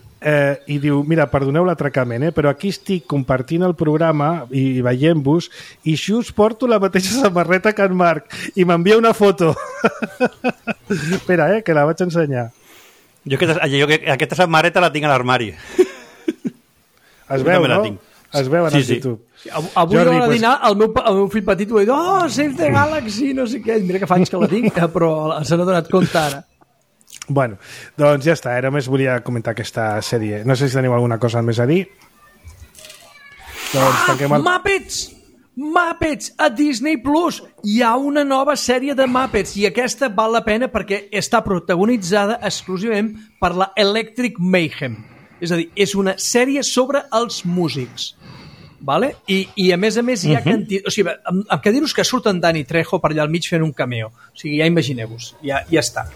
i diu, mira, perdoneu l'atracament, però aquí estic compartint el programa i veient-vos i just porto la mateixa samarreta que en Marc i m'envia una foto. Espera, que la vaig ensenyar. Jo aquesta samarreta la tinc a l'armari. Es veu, no? Es veu en el YouTube. Avui a l'hora de dinar el meu fill petit ho ha dit, Save the Galaxy, no sé què, mira que fa anys que la tinc, però se n'ha donat compte ara. Bueno, doncs ja està, només volia comentar aquesta sèrie. No sé si teniu alguna cosa més a dir. Doncs tanquem el... Muppets a Disney Plus. Hi ha una nova sèrie de Muppets i aquesta val la pena perquè està protagonitzada exclusivament per la Electric Mayhem. És a dir, és una sèrie sobre els músics. Vale? I a més hi ha o sigui, amb que dir-vos que surten Danny Trejo per allà al mig fent un cameo. O sigui, ja imagineu-vos. Ja està.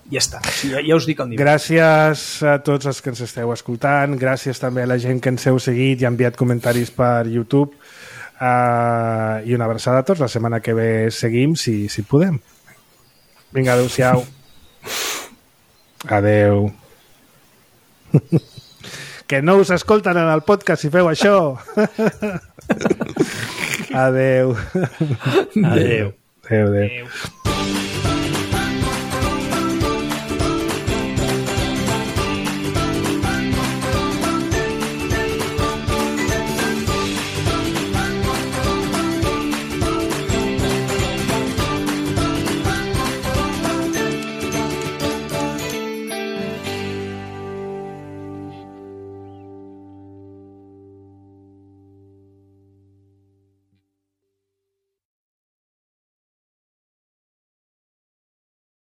Ja està, ja us dic el nivell. Gràcies a tots els que ens esteu escoltant, gràcies també a la gent que ens heu seguit i ha enviat comentaris per YouTube, i una abraçada a tots. La setmana que ve seguim, si podem. Vinga, adeu-siau. Adeu. Que no us escolten en el podcast si feu això. Adeu. Adeu. Adeu.